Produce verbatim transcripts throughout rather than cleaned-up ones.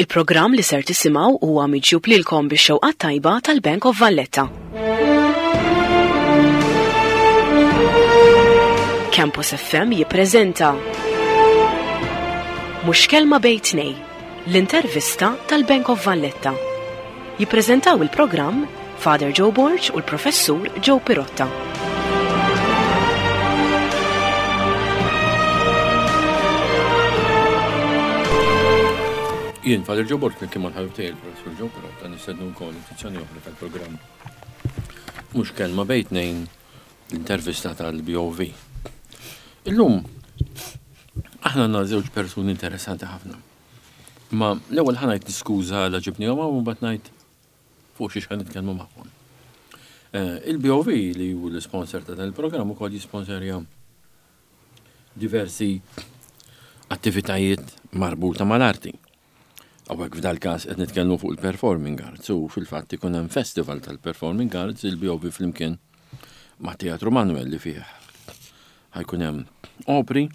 Il-programm li ser tisimgħu huwa miġjub lilkom bix-xewqat tajba tal-Bank of Valletta. Campus F M jippreżenta Mhux Kelma Bejn Tnejn, l-intervista tal-Bank of Valletta. Jippreżentaw il-programm Father Joe Borg u l-Professur Joe Pirotta. Jien, Father Joe Borg, kien mal-ħabib tiegħi il-Professur Joe Pirotta, nistednu wkoll edizzjoni oħra tal-programm Mhux Kelma Bejn Tnejn, l-intervista tal-B O V. Illum aħna għandna żewġ persuni interessanti ħafna. Ma l-ewwel ħa ngħid niskuża la ġibnihom hawn u mbagħad ngħid fuq xiex ħa nitkellmu magħhom. Eh, Il-B O V li hu l-sponsor ta' dan il-programm ukoll jisponsorja diversi attivitajiet marbuta mal-arti. Hawnhekk f'dal każ qed nitkellmu fuq il-Performing Arts u fil-fatt ikun hemm festival tal-Performing Arts, il-B O V flimkien ma' Teatru Manuel, li fih ħa jkun hemm opri,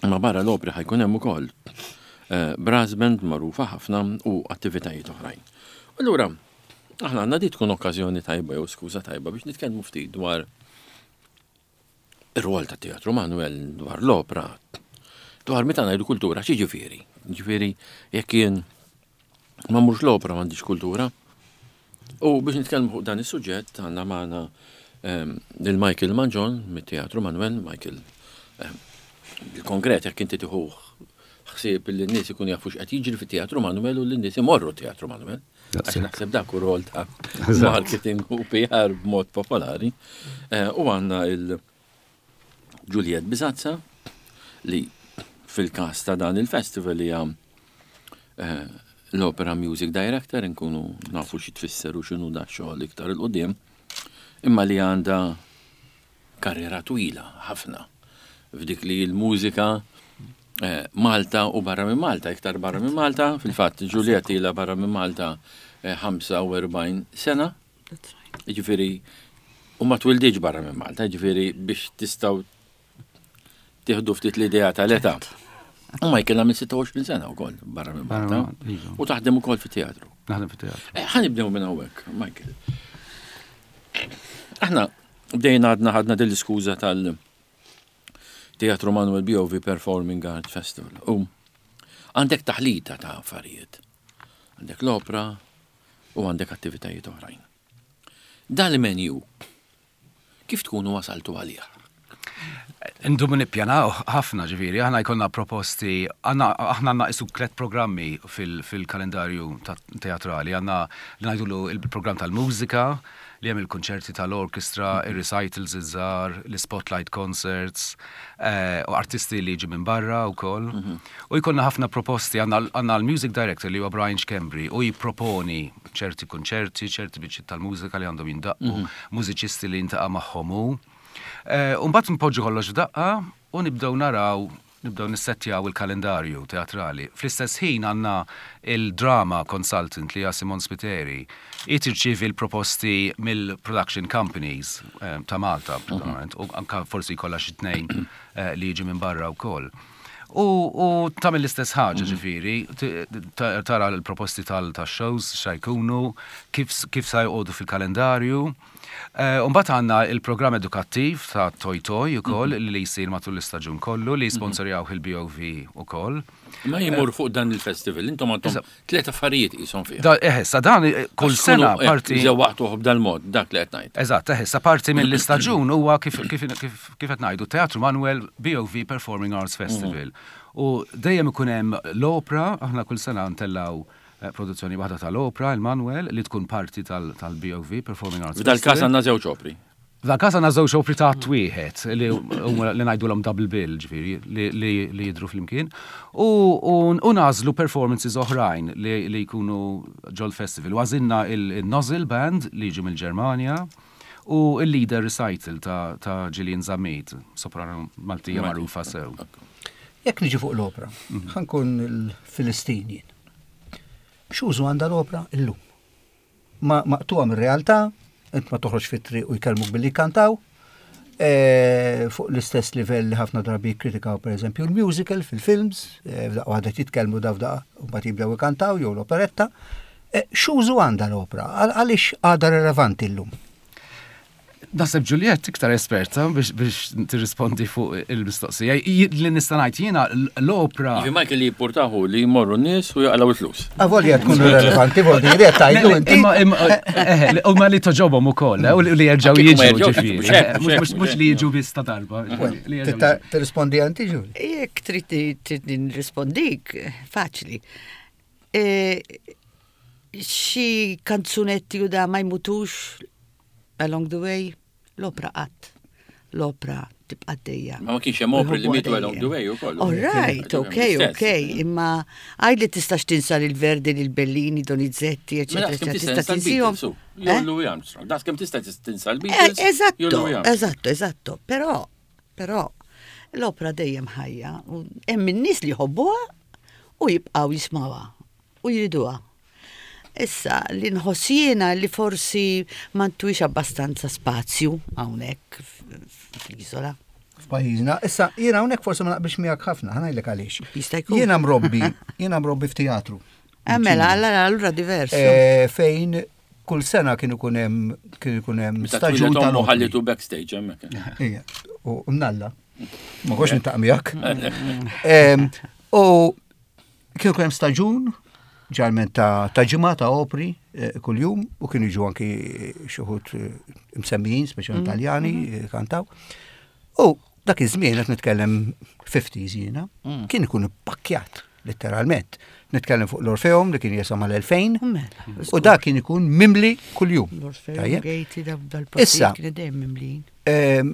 ma barra l-opri ħa jkun hemm ukoll eh, brass band magħrufa ħafna u attivitajiet oħrajn. Allura, aħna għandna di tkun okkażjoni tajba jew skuża tajba biex nitkellmu ftit dwar ir-rwol ta' Teatru Manuel, dwar l-opra, dwar meta ngħidu kultura, x'jiġifieri? Ġifieri jekk jien ma mhux l-opra m'għandix kultura. U biex nitkellmu fuq dan is-suġġett għandna magħna ehm, lil Michael Mangion mit-Teatru Manuel. Michael, ehm, bil-konkret jekk inti tieħu ħsieb li n-nies ikunu jafu x'qed jiġri fit-Teatru Manuel u li n-nies imorru Teatru Manuel. Għax naħseb dak hu rol ta' marketing u P R b'mod popolari. Eh, U għandna il- Juliet Bisazza li fil-kas ta' dan il-festival hija eh, l-Opera Music Director, nkunu nafu xi tfisser u x'inhu da xogħol iktar 'il quddiem, imma li għandha karriera twila ħafna f'dik li l-mużika eh, Malta u barra minn Malta, iktar barra minn Malta, fil-fatt Juliet ilha barra minn Malta eh, ħamsa u erbgħin sena, ġifieri, u ma twildiġ barra minn Malta, ġifieri biex tistgħu tieħdu ftit l-idea tal-età. U Michael għamil sitta u għoxrin sena wkoll barra minn Malta. Iva. U taħdem ukoll fit-teatru. Naħdem fit-teatru. Eh, Ħa nibdew minn hawnhekk, Michael. Aħna bdejna għadna ħadna din l-iskuża tal Teatru Manuel B O V Performing Arts Festival. U għandek taħlita ta' affarijiet. Għandek l-opra u għandek attivitajiet oħrajn. Dal-menu, kif tkunu wasaltu għalih? Indumu nippjanaw ħafna, ġifieri, aħna jkollna proposti, għandna aħna għandna isu tliet programmi fil- fil-kalendarju ta- teatrali, għandna li ngħidulu il-programm tal-mużika, li hemm il-konċerti tal-orkestra, il-recitals iż-żgħar, l-spotlight concerts, eh, u artisti li jiġu minn barra wkoll. U jkollna ħafna proposti, għandna għandna l-music director li huwa Brian Schembri u jipproponi ċerti konċerti, ċerti biċċiet tal-mużika li għandhom jindaqqu, mużiċisti li jiltaqa' magħhom hu. Eh, Umbagħad npoġġu kollox f'daqqa u nibdew naraw, nibdew nissettjaw il-kalendarju teatrali. Fl-istess ħin għandna il-drama consultant li hija Simon Spiteri. Hi tirċievi l-proposti mill-production companies eh, ta' Malta, predominant, u anka forsi jkollha xi tnejn eh, li jiġu minn barra wkoll. U, u tagħmel l-istess ħaġa, ġifieri, t- ta- tara l-proposti tal-shows xa jkunu, kif, kif sa joqogħdu fil-kalendarju. Eh, Umbagħad għandna il-programm edukattiv ta' Toy Toy ukoll li jsir matul l-istaġun kollu li sponsorjaw il-B O V ukoll. Ma jimur fuq dan il-festival, intom għandkom tliet affarijiet qishom fih. Da, eħe, sa dan eh, kull sena parti. Żewwaqtuh b'dal-mod, dak li qed ngħid. Eżatt, eħe, sa parti mill-istaġun huwa kif kif kif kif qed ngħidu Teatru Manuel B O V Performing Arts Festival. U dejjem ikun hemm l-opra, aħna kull sena ntellgħu eh, produzzjoni waħda tal-opra, il-Manuel, li tkun parti tal- tal-B O V Performing Arts F'dal-każ Festival. għandna żewġ opri. F'dal każ għandna żewġ opri ta' wieħed li huma li ngħidulhom double bill, ġifieri, li, li, li jidru flimkien. U, u, u nagħżlu performances oħrajn li, li jkunu ġol festival. U għażilna il-Nozzle Band li jiġu mill-Ġermanja u il-Lieder Recital ta', ta Gillian Zammit, soprano Maltija magħrufa sew. Jekk niġi fuq l-opra, ħa nkun il-Filistin jien. X'użu għandha l-opra illum? Ma maqtuha mir-realtà, int ma toħroġ fit-triq u jkellmuk billi kantaw, Eh, fuq l-istess livell li ħafna drabi kritikaw per eżempju l-musical fil-films, eh, f'daqqa waħda jitkellmu da f'daqqa u mbagħad jibdew ikantaw jew l-operetta. Eh, x'użu għandha l-opra? Għaliex għadha relevanti llum? Naħseb Juliet iktar esperta biex, biex tirrispondi fuq il-mistoqsija. Li nista' ngħid jiena l-opra. Jiġi Michael li jippurtahu li jmorru n-nies u jaqalgħu il-flus. Avolja tkun relevanti, vuol dire tgħidlu inti. Imma imma eh, huma li togħġobhom ukoll, eh, u li jerġgħu jiġu ġifieri. Eh, mhux li jiġu biss ta' darba. Tirrispondi inti, Ġuli? Jekk trid nirrispondik, faċli. Xi kanzunetti u da ma jmutux along the way, l-opra qatt. L-opra tibqa' għaddejja. Ma ma kienx hemm opri li mietu along the way ukoll. All right, ok, ok, imma għaj li tistax tinsa lil Verdi, lil Bellini, Donizetti, eccetera, eccetera. Tista' tinsihom. Jew Louis Armstrong. Dak kemm tista' tinsa l-Beatles. Eżatto, eżatto, eżatto. Però, però, l-opra dejjem ħajja. Hemm in-nies li jħobbuha u jibqgħu jismawha u jriduha. Issa, li nħoss jiena li forsi ma ntuhiex abbastanza spazju hawnhekk fl-iżola. F'pajjiżna. Issa, jiena hawnhekk forsi ma naqbilx miegħek ħafna, ħa ngħidlek għaliex. Jista' jkun. Jiena mrobbi, jiena mrobbi f'teatru. Eh, mela, allora allura diverso. Eh, fejn kull sena kien ikun hemm kien ikun hemm staġun tal ħallitu backstage hemmhekk. Ija, u mnalla. Ma kontx niltaqa' miegħek. U kien ikun hemm staġun ġeneralment ta' ta' ġimgħa ta' opri eh, kuljum u kienu jiġu anki xi wħud eh, msemmijin, speċjalment mm. Taljani, eh, kantaw. U dak iż-żmien qed nitkellem fifties jiena, mm. kien ikun pakkjat letteralment. Nitkellem fuq l-Orfeum li kien jesa' mal-elfejn Mela, u dak kien ikun mimli kuljum. L-Orfeum, Gaiety, Issa, dal-postijiet kienu dejjem mimlin. Ehm,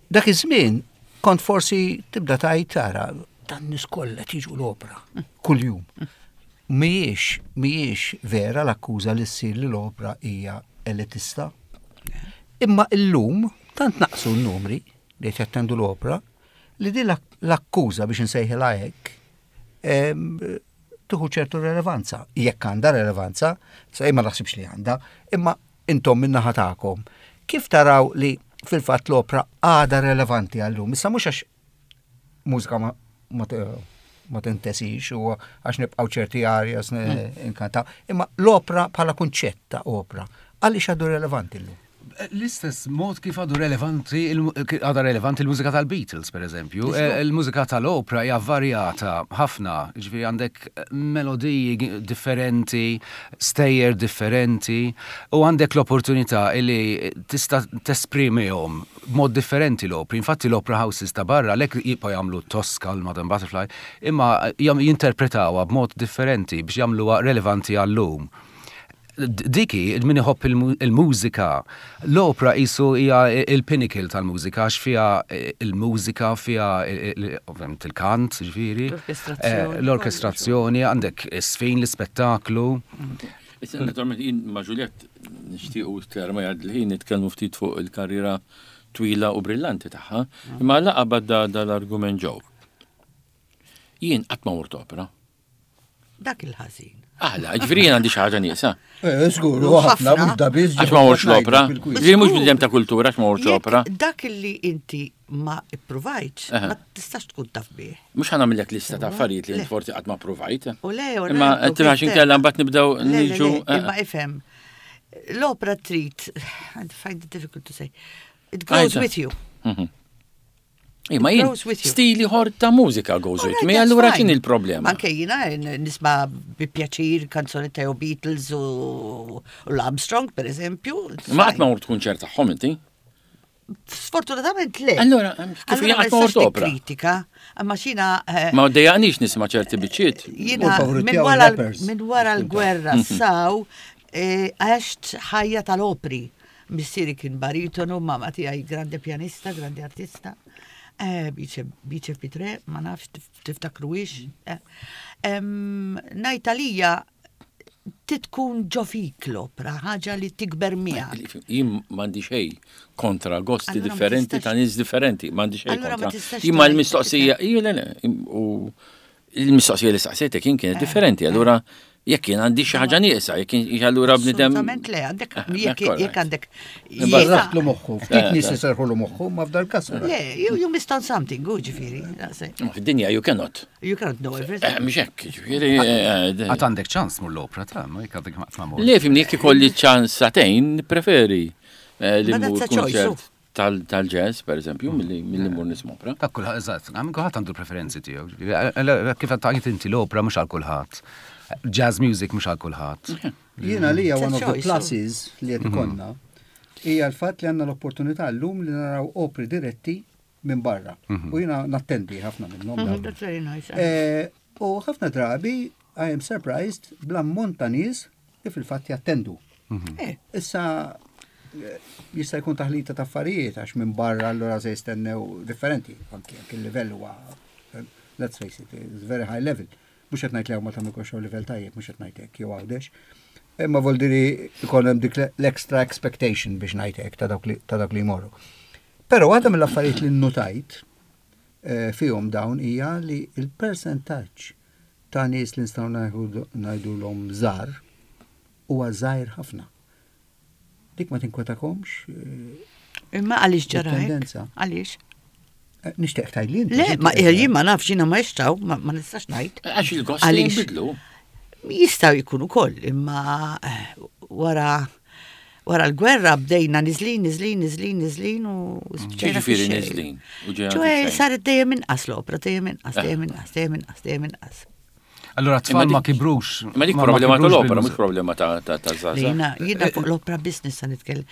dak iż-żmien kont forsi tibda tgħid tara dan nies kollha tiġu l-opra kuljum. Mhijiex mhijiex vera l-akkuża li ssir li l-opra hija elitista. Imma illum tant naqsu n-numri li jattendu l-opra li di l-akkuża biex nsejħilha hekk em, tieħu ċertu relevanza. Jekk għandha relevanza, sa ma naħsibx li għandha, imma intom min-naħa tagħkom. Kif taraw li fil-fatt l-opra għadha relevanti għallum? Issa mhux għax mużika ma, ma, ma tintesix u għax nibqgħu ċerti arias inkantaw, imma l-opra bħala kunċett ta' opra, għaliex għadu relevanti llum? L-istess mod kif għadu relevanti, għadha relevanti il-mużika tal-Beatles, per eżempju. Eh, il-mużika tal-opra hija varjata ħafna, ġifieri għandek melodiji differenti, stejjer differenti, u għandek l-opportunità li tista' tesprimihom b'mod differenti l-opri. Infatti l-opera houses ta' barra lek jibqgħu jagħmlu Tosca, l-Madame Butterfly, imma jinterpretawha b'mod differenti biex jagħmluha relevanti għallum. Diki, min iħobb il-mużika, l-opra qisu hija il-pinnacle tal-mużika, għax fiha il-mużika, fiha ovvjament il-kant, ġifieri, l-orkestrazzjoni, għandek is-sfin, l-ispettaklu. Issa, naturalment, jien ma' Juliet nixtiequ ma jgħad l-ħin nitkellmu ftit fuq il-karriera twila u brillanti tagħha, imma laqa badda dal-argument ġew. Jien qatt ma mort opera. Dak il-ħażin. Aħla, ġifieri jien għandi xi ħaġa nieqsa. Eh, żgur, ħafna mhux da biss. Għax ma mortx l-opra. Ġifieri mhux bniedem ta' kultura għax ma mortx l-opra. Dak li inti ma ippruvajtx, ma tistax tkun taf bih. Mhux ħa nagħmillek lista ta' affarijiet li forsi qatt ma provajt. U le, u Imma għax inkella mbagħad nibdew niġu. Imma ifhem, l-opra trid, I find it difficult to say, it goes with you. Mhm. Imma jien stili ieħor ta' mużika goes with me, allura kien il-problema. Anke jiena nisma' bi pjaċir kanzoni ta' Beatles u l-Armstrong, per eżempju. Ma qatt ma mort kunċert tagħhom inti? Sfortunatament le. Allora, kif jien qatt ma mort opera? Kritika, imma xina. Eh, ma dejjaqnix nisma' ċerti biċċiet. Jiena minn wara l-gwerra saw eh, għext ħajja tal-opri. Missieri kien baritonu, mamma tiegħi grande pianista, grande artista. Eh, Bice Pitre, ma nafx tiftakruhiex. Eh, ngħid għalija titkun ġo fik l-opra, ħaġa li tikber miegħek. Jien m'għandi xejn kontra gosti differenti ta' nies differenti, m'għandi xejn kontra. Imma l-mistoqsija, le le, u il-mistoqsija li saqsejtek jien kienet eh, differenti, allura Jekk jien għandi xi ħaġa nieqsa, jekk jien allura bniedem. Assolutament le, għandek Eh, jekk korrekt. jekk għandek. Barraħtlu moħħu, ftit Eh, nies eh. iserħulu moħħu, ma f'dal kas. Le, you, you missed on something, u ġifieri. that's it. Ma Fid-dinja you cannot. You cannot know Eh, everything. Mhux hekk, ġifieri. eh, eh, Għat għandek ċans mur l-opra ta' ma jekk għandek ma mur. Le, fimni, jekk ikolli ċans sagħtejn, preferi eh, li Ma mmur that's a choice, kunċert tal- tal-jazz, per eżempju, milli milli mmur nisma' opra. Ta' kulħadd, eżatt, għam kulħadd għandu preferenzi tiegħu. Ġifieri, Kif għedt inti l-opra mhux għal kulħadd. Jazz music mhux għal kulħadd. Jiena li It's a one of the choice, pluses li qed ikollna hija l-fatt li għandna l-opportunità llum li naraw opri diretti minn barra. U jiena nattendi ħafna minnhom. Mhm, dawn. That's very nice. Eh, U ħafna drabi I am surprised bl-ammont ta' nies li fil-fatt jattendu. Eh, Issa eh, jista' jkun taħlita ta' affarijiet għax minn barra allura se jistennew differenti, anki anki il-livell huwa eh, let's face it, it's very high level. Mhux qed ngħid li hawn ma tagħmel xogħol livell tajjeb, mhux qed ngħid hekk jew Għawdex. Imma voldiri jkun hemm dik l-extra expectation biex ngħid hekk ta' dawk li ta' dawk li jmorru. Però waħda mill-affarijiet li nnotajt eh, fihom dawn hija li il-percentaġġ ta' nies li nistgħu ngħidulhom żgħar huwa żgħir ħafna. Dik ma tinkwetakomx? eh, Imma għaliex ġara hekk? Tendenza. Għaliex? eh, Nixtieq tgħidli inti. Le, inti ma qed jien ma nafx, jiena ma jixtaw, ma ma nistax ngħid. Għax il-gosti Għaliex? jinbidlu. Jistaw jkunu koll, imma eh, wara wara l-gwerra bdejna niżlin, niżlin, niżlin, niżlin u spiċċajna Ġifieri fix-xejn. niżlin, u ġejna ċoè fix-xejn. saret dejjem inqas l-opra, dejjem inqas, dejjem inqas, dejjem inqas, dejjem inqas. Allura t-tfal Imma ma dik- kibrux. Ma dik ma- ma problema kibrux tal-opra, bil-mużika. mhux problema ta' ta' ta' żgħażagħ. Jiena, jiena fuq l-opra business sa nitkellem.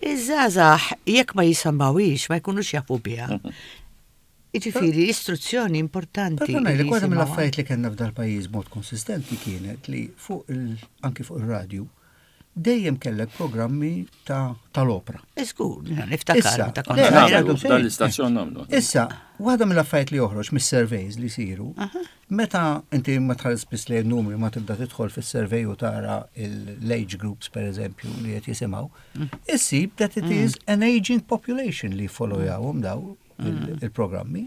Iż-żgħażagħ jekk ma jisimgħuhiex, ma jkunux jafu biha. Jiġifieri, istruzzjoni importanti. Però ngħidlek li waħda jisimgħuha. mill-affarijiet li kellna f'dal pajjiż mod konsistenti kienet li fuq il anki fuq ir-radju dejjem kellek programmi ta' tal-opra. Żgur, jiena niftakar Issa, meta le, konna le, żgħira. Nagħmlu, dan l-istazzjon nagħmlu. Issa, waħda mill-affarijiet li joħroġ mis-surveys li jsiru, meta inti ma tħares biss lejn numri ma tibda tidħol fis-survey u tara l-age groups per eżempju li qed jisimgħu, issib that it is an aging population li followjawhom daw il- il-programmi.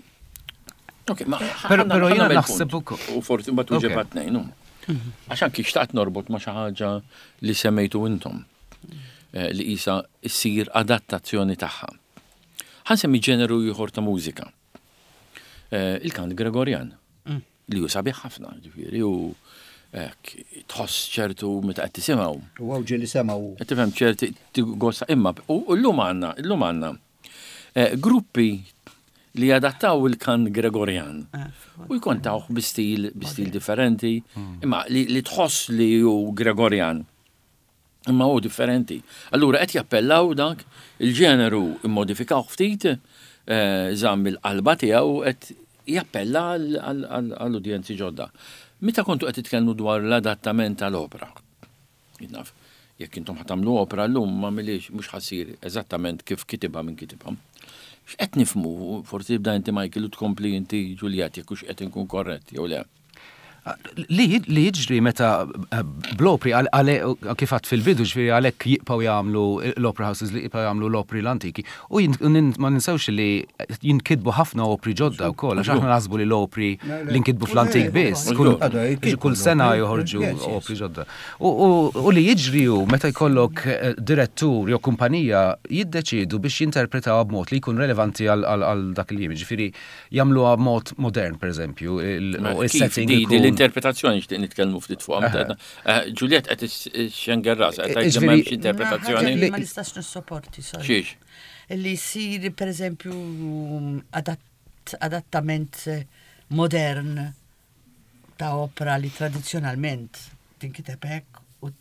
Ok, ma Però- ħanna- però ħanna jiena nagħmel naħseb punt. ukoll. U forsi mbagħad Ok. tuġeb tnejn. hu. Għax anki xtaqt norbot ma xi ħaġa li semmejtu intom eh, li isa issir adattazzjoni tagħha. Ħa nsemmi ġeneru ieħor ta' mużika. Eh, Il-kant Gregorian li hu sabiħ ħafna, ġifieri u hekk, tħoss ċertu meta qed tisimgħu. U hawn ġieli semgħu Qed tifhem ċerti gosta imma u llum għandna, illum għandna eh, gruppi li adattaw il-kant Gregorian u jkontawh bi stil bi stil differenti, imma li, li tħoss li hu Gregorian. Imma hu differenti. Allura qed jappellaw dak il-ġeneru immodifikaw ftit, eh, żamm il-qalba tiegħu qed jappella għal- għal- għal- għall-udjenzi ġodda. Meta kontu qed titkellmu dwar l-adattament tal-opra? Jien naf, jekk intom ħa tagħmlu opra llum ma milix mhux ħa ssir eżattament kif kitibha minn kitibha. X'qed nifhmu, forsi tibda inti Michael u tkompli inti Juliet jekk hux qed inkun korrett jew le. Li li jiġri meta eh, bl-opri għal- għale- kif għedt fil-bidu ġifieri għalhekk jibqgħu jagħmlu l-opera houses li jibqgħu jagħmlu l-opri l-antiki u jin- u nin- ma ninsewx li jinkitbu ħafna opri ġodda wkoll għax aħna naħsbu li l-opri li nkitbu fl-antik biss kull kull sena joħorġu opri ġodda. U, u, u li jiġri hu meta jkollok eh, direttur jew kumpanija jiddeċidu biex jinterpretaw b'mod li jkun relevanti għal għal- għal dak il-jiem. Ġifieri jagħmluha b'mod modern pereżempju, il- Ma u Kif il-setting di di ikun- l-interpretazzjoni xtieq nitkellmu ftit fuqha. meta għedna- Eh, Juliet qed ixxenger rasha qed tgħid li Ġifieri- m'hemmx interpretazzjoni. Ħaġa li Ma nistax nissopporti, sorry. Xiex? Li jsir, per eżempju, adatt, adattament eh, modern ta' opera li tradizjonalment tinkiteb hekk u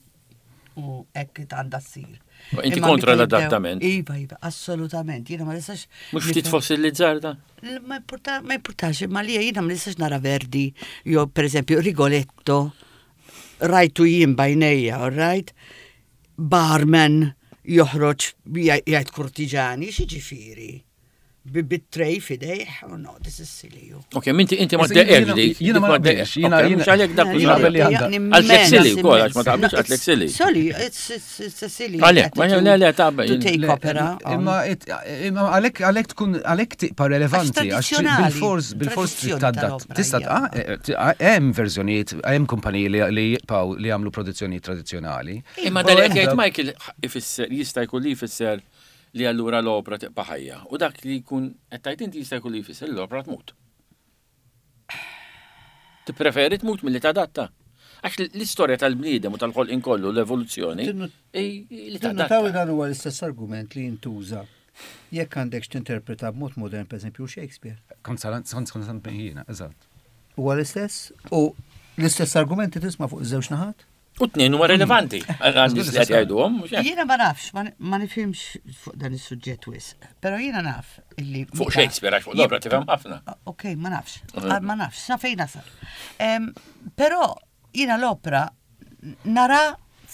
u hekk għandha ssir. Ma inti Imma kontra meta jibdew- l-adattament? Iva, iva, assolutament. Jiena ma nistax. Mhux ftit nifhem- fossilizzar da? L- Ma importa, ma importax, ma li jiena ma nistax nara Verdi, jew per eżempju Rigoletto, rajtu jien b'għajnejja, all right? Barman joħroġ jgħid kurtiġani, x'jiġifieri? Bit-tray f'idejh, oh no, this is silly. You. Ok, minti inti ma ddeqerx dik. Jiena ma naqbilx, jiena mhux għalhekk dak jiena qabel li għandha. Għaltek silly wkoll għax ma taqbilx għaltek silly. Sorry, it's it's a silly. Għalhekk, ma le le taqbel. To take opera. Imma imma għalhekk għalhekk tkun għalhekk tibqa' relevanti għax bil-fors bil-fors trid tadatt. Tista' hemm verżjonijiet, hemm kumpaniji li jibqgħu li jagħmlu produzzjonijiet tradizzjonali. Imma dal jgħid Michael ifisser jista' jkun li jfisser li allura l-opra tibqa' ħajja. U dak li jkun qed tgħid inti jista' jkun li jfisser l-opra tmut. Tippreferi tmut milli tadatta. Għax l-istorja tal-bniedem u tal-ħolqien kollu l-evoluzzjoni li tadatta. Dan huwa l-istess argument li jintuża jekk għandek tinterpreta b'mod modern, pereżempju Shakespeare. Kont kont jiena, eżatt. Huwa l-istess u l-istess argumenti tisma' fuq iż-żewġ naħat? U t-tnejn huma relevanti. Għandis li qed jgħiduhom. Jiena ma nafx, ma nifhimx fuq dan is-suġġett wisq. Però jiena naf illi. Fuq Shakespeare għax fuq l-opra tifhem ħafna. Ok, ma nafx. Ma nafx, sa fejn nasal. Però jiena l-opra nara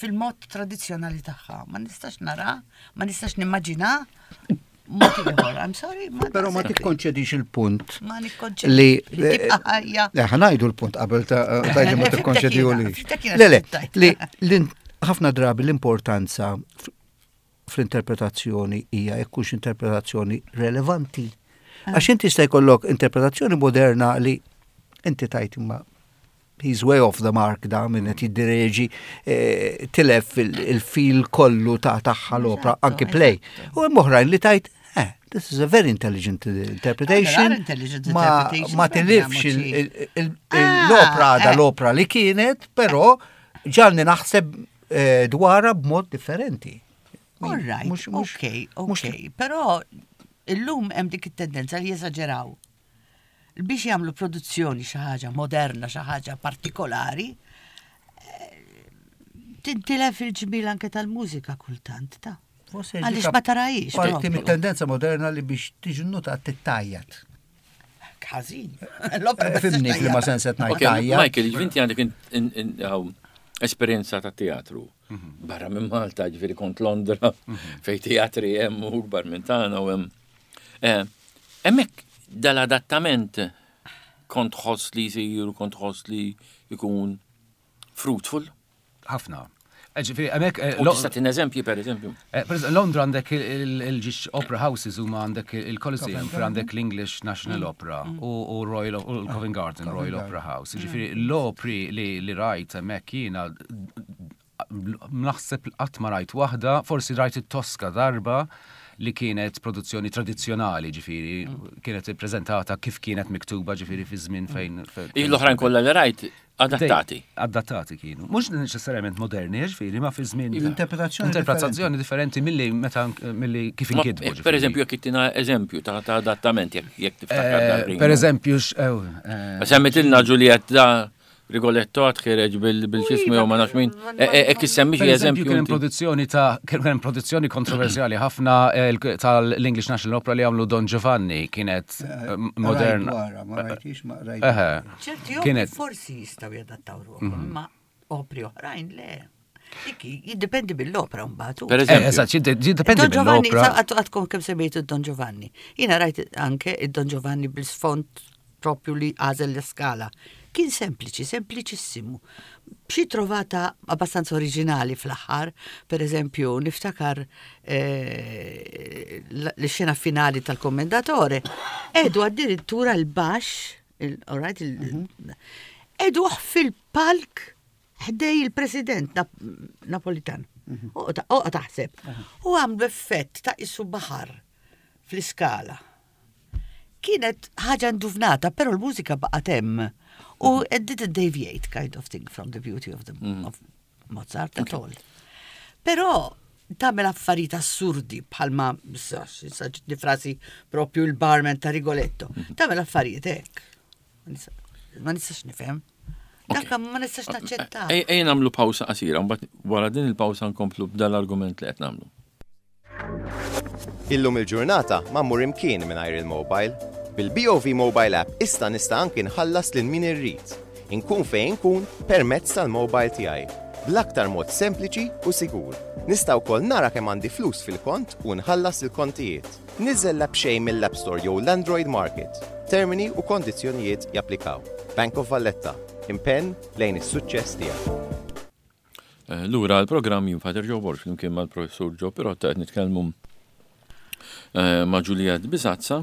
fil-mod tradizzjonali tagħha. Ma nistax nara, ma nistax nimmaġina mod ieħor. I'm sorry. Però ma tikkonċedix il-punt. Ma nikkonċedix. Li tibqa' ħajja. Le, ħa ngħidu l-punt qabel ta' tajdi ma tikkonċediju li. Le, le, li ħafna drabi l-importanza fl-interpretazzjoni hija jekk hux interpretazzjoni relevanti. Għax inti jista' jkollok interpretazzjoni moderna li inti tajt imma he's way off the mark da minn qed jiddireġi tilef il-fil kollu ta' tagħha l-opra anki play. U hemm oħrajn li tajt eh, this is a very intelligent interpretation. Ma, ma tilifx l-opra da l-opra li kienet, però ġalni naħseb dwarha b'mod differenti. All right, ok, ok, però illum hemm dik it-tendenza li jeżaġeraw. Biex jagħmlu produzzjoni xi ħaġa moderna, xi ħaġa partikolari, tintilef il-ġmil anke tal-mużika kultant ta' Għaliex ma tarajix. Parti mit-tendenza moderna li biex tiġi nota tittajjat. Ħażin. Fimni li ma sens qed ngħid tajjat. Michael, inti għandek esperjenza ta' teatru. Barra minn Malta, ġifieri kont Londra, fej teatri hemm u kbar minn tagħna u hemm. Hemmhekk dal-adattament kont ħoss li jsir, kont ħoss li jkun fruitful? Ħafna. Ġifieri, hemmhekk. U tista' tin eżempji, per eżempju. Londra għandek il-ġiex opera houses huma għandek il-Coliseum, fir għandek l-English National Opera u Royal u Covent Garden Royal Opera House. Ġifieri, l-opri li rajt hemmhekk jiena naħseb qatt ma rajt waħda, forsi rajt it-Tosca darba li kienet produzzjoni tradizzjonali, ġifieri, kienet ippreżentata kif kienet miktuba, ġifieri, fi żmien fejn. L-oħrajn kollha li rajt adattati. Adattati kienu. Mhux neċessarjament moderni, ġifieri, ma fi żmien. Interpretazzjoni Interpretazzjoni differenti milli meta milli kif inkitbu. Per eżempju, jekk ittina eżempju ta' adattament jekk tiftakar. Per eżempju, Semmitilna Giulietta Rigoletto għad bil-xismu jew ma nafx min. Ek issemmi xi eżempju. Kien produzzjoni ta' kien produzzjoni kontroversjali ħafna tal-English National Opera li għamlu Don Giovanni kienet moderna. Ma rajtix, ma rajtix. Ċerti kienet forsi jistgħu jadattaw ruħhom, ma opri oħrajn le. Jiddependi bil-opra mbagħad. Per eżempju. Eżatt, jiddependi bil-opra. Għadkom kemm semmejtu Don Giovanni. Jiena rajt anke id-Don Giovanni bil-sfond propju li għażel l-skala. Kien sempliċi, sempliċissimu. B'xi trovata abbastanza oriġinali fl-aħħar, per eżempju, niftakar l-xena finali tal-Commendatore, edu addirittura l-baxx, all right, edu fil-palk ħdej il-president Napolitan. Oqa taħseb. U għamlu effett ta' isu baħar fl-iskala. Kienet ħaġa nduvnata, però l-mużika baqgħet hemm. U it didn't deviate kind of thing from the beauty of, the, mm. of Mozart at all. Però tagħmel affarijiet assurdi bħalma ġitni frasi propju l-barman ta' Rigoletto. Tagħmel affarijiet hekk. Ma nistax nifhem. Dak ma nistax naċċetta. Ejja nagħmlu pawsa qasira, mbagħad wara din il-pawsa nkomplu b'dal-argument li qed nagħmlu. Illum il-ġurnata ma mmur imkien mingħajr il-mobile. Bil-B O V Mobile App issa nista' anki nħallas lil min irrid. Inkun fejn inkun permezz tal-mobile tiegħi. bl-aktar mod sempliċi u sigur. Nista' wkoll nara kemm għandi flus fil-kont u nħallas il-kontijiet. Niżżel l-app b'xejn mill-App Store jew l-Android Market. Termini u kondizzjonijiet japplikaw. Bank of Valletta. Impenn lejn is-suċċess tiegħek. Eh, lura l-programm jien Father Joe Borg flimkien mal-professur Joe Pirotta qed nitkellmu eh, ma' Juliet Bisazza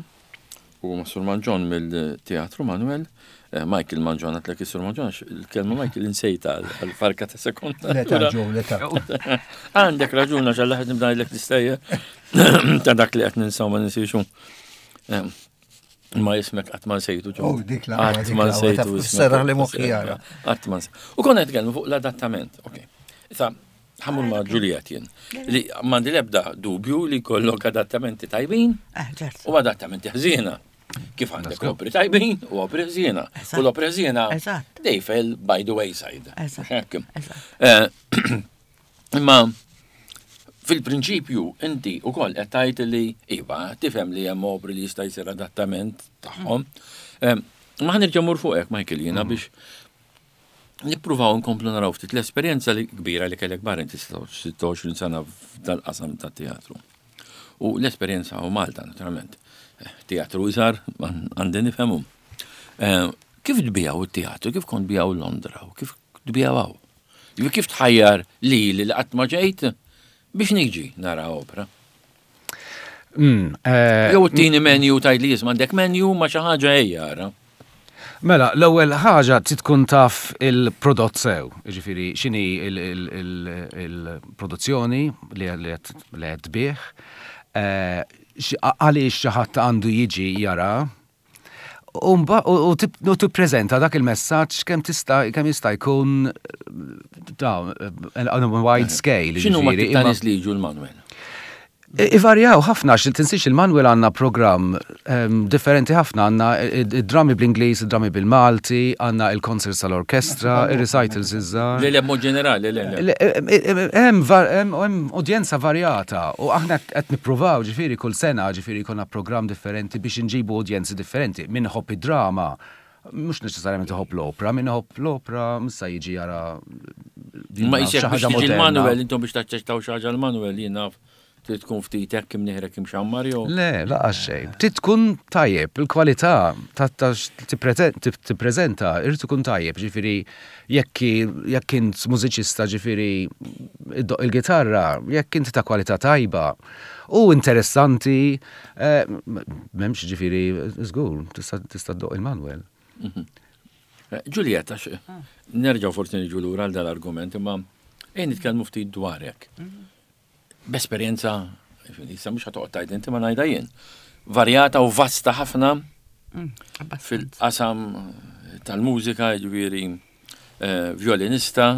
u ma' Sur Manġon mill-Teatru Manuel. Eh, Michael Manġon, għedtlek is-Sur Manġon, għax il-kelma Michael insejta għal-farka ta' sekonda. L-età, Joe, l-età. Għandek raġun għax għall nibda ngħidlek l-istejjer ta' dak li qed ninsaw ma ninsiex. Eh, Ma ismek qatt ma nsejtu Joe. Oh, dik la- Qatt dik ma la- nsejtu taf- ismek. serraħ li moħħi jara. Qatt ma nsejtu. U konna nitkellmu fuq l-adattament. Ok. Issa, ħa mmur ma' Juliet jien. Li m'għandi l-ebda dubju li kollok adattamenti tajbin Eh, ċert. u adattamenti ħżiena. Kif għandek opri tajbin u opri ħżiena. Eżatt. U l-opri ħżiena, Eżatt. they fell by the wayside. Eżatt. Hekk. Eżatt. Eh, Imma fil-prinċipju inti u koll qed tgħid li iva tifhem li hemm opri li jista' jsir adattament tagħhom. Eh, Ma ħa nerġa' mmur fuqek Michael jiena biex nippruvaw nkomplu naraw ftit l-esperjenza li kbira li kellek barra inti sitta u għoxrin sena f'dal-qasam ta' teatru. U l-esperjenza u Malta, naturalment. Eh, Teatru iżgħar, għandi nifhemu. Eh, Kif tbiegħu it-teatru, kif kont tbiegħu Londra, u kif tbiegħu hawn? Jiġifieri kif tħajjar li li qatt ma ġejt biex niġi nara opera? Mm, eh, Jew tini menu tgħid li jisma' għandek menu ma xi ħaġa ejja ara. Mela, l-ewwel ħaġa trid tkun taf il-prodott sew, jiġifieri x'inhi il-produzzjoni li li qed li qed tbigħ, eh, x- għaliex xi ħadd għandu jiġi jara, u mba- u u tip- u tippreżenta dak il-messaġġ kemm tista' kemm jista' jkun da, on a wide scale. X'inhu ma jiġifieri, tip ta' imma- nies li jiġu l-Manuel? Ivarjaw ħafna, għax tinsiex il-Manuel għandna program um, differenti ħafna, għandna id-drami bl-Ingliż, id-drami bil-Malti, għandna il-concerts tal-orkestra, il-recitals iż-żgħar. Le le mod ġenerali, le le. Le, Hemm var- hemm hemm udjenza varjata u aħna qed nippruvaw ġifieri kull sena ġifieri jkollna program differenti biex inġibu udjenzi differenti. Min iħobb id-drama, mhux neċessarjament iħobb l-opra, min iħobb l-opra missa jiġi jara Ma jisek xi biex ħaġa tiġi moderna. l-Manuel, intom biex taċċettaw xi ħaġa l-Manuel, jien naf trid tkun ftit hekk imneħrek imxammar jew. Le, laqas xejn. Trid tkun tajjeb, il-kwalità ta' ta' tippreżenta irid ikun tajjeb, ġifieri jekk jekk int mużiċista ġifieri iddoqq il-gitarra, jekk inti ta' kwalità tajba u interessanti, eh, m'hemmx ġifieri żgur, tista' tista' ddoqq il-Manuel. Eh, Giulietta, x- nerġgħu forsi niġu lura għal dal-argument, imma ejn nitkellmu ftit dwarek. B'esperjenza, issa mhux ħa toqgħod tgħid inti ma ngħidha jien. Varjata u vasta ħafna fil-qasam tal-mużika, ġifieri eh, violinista,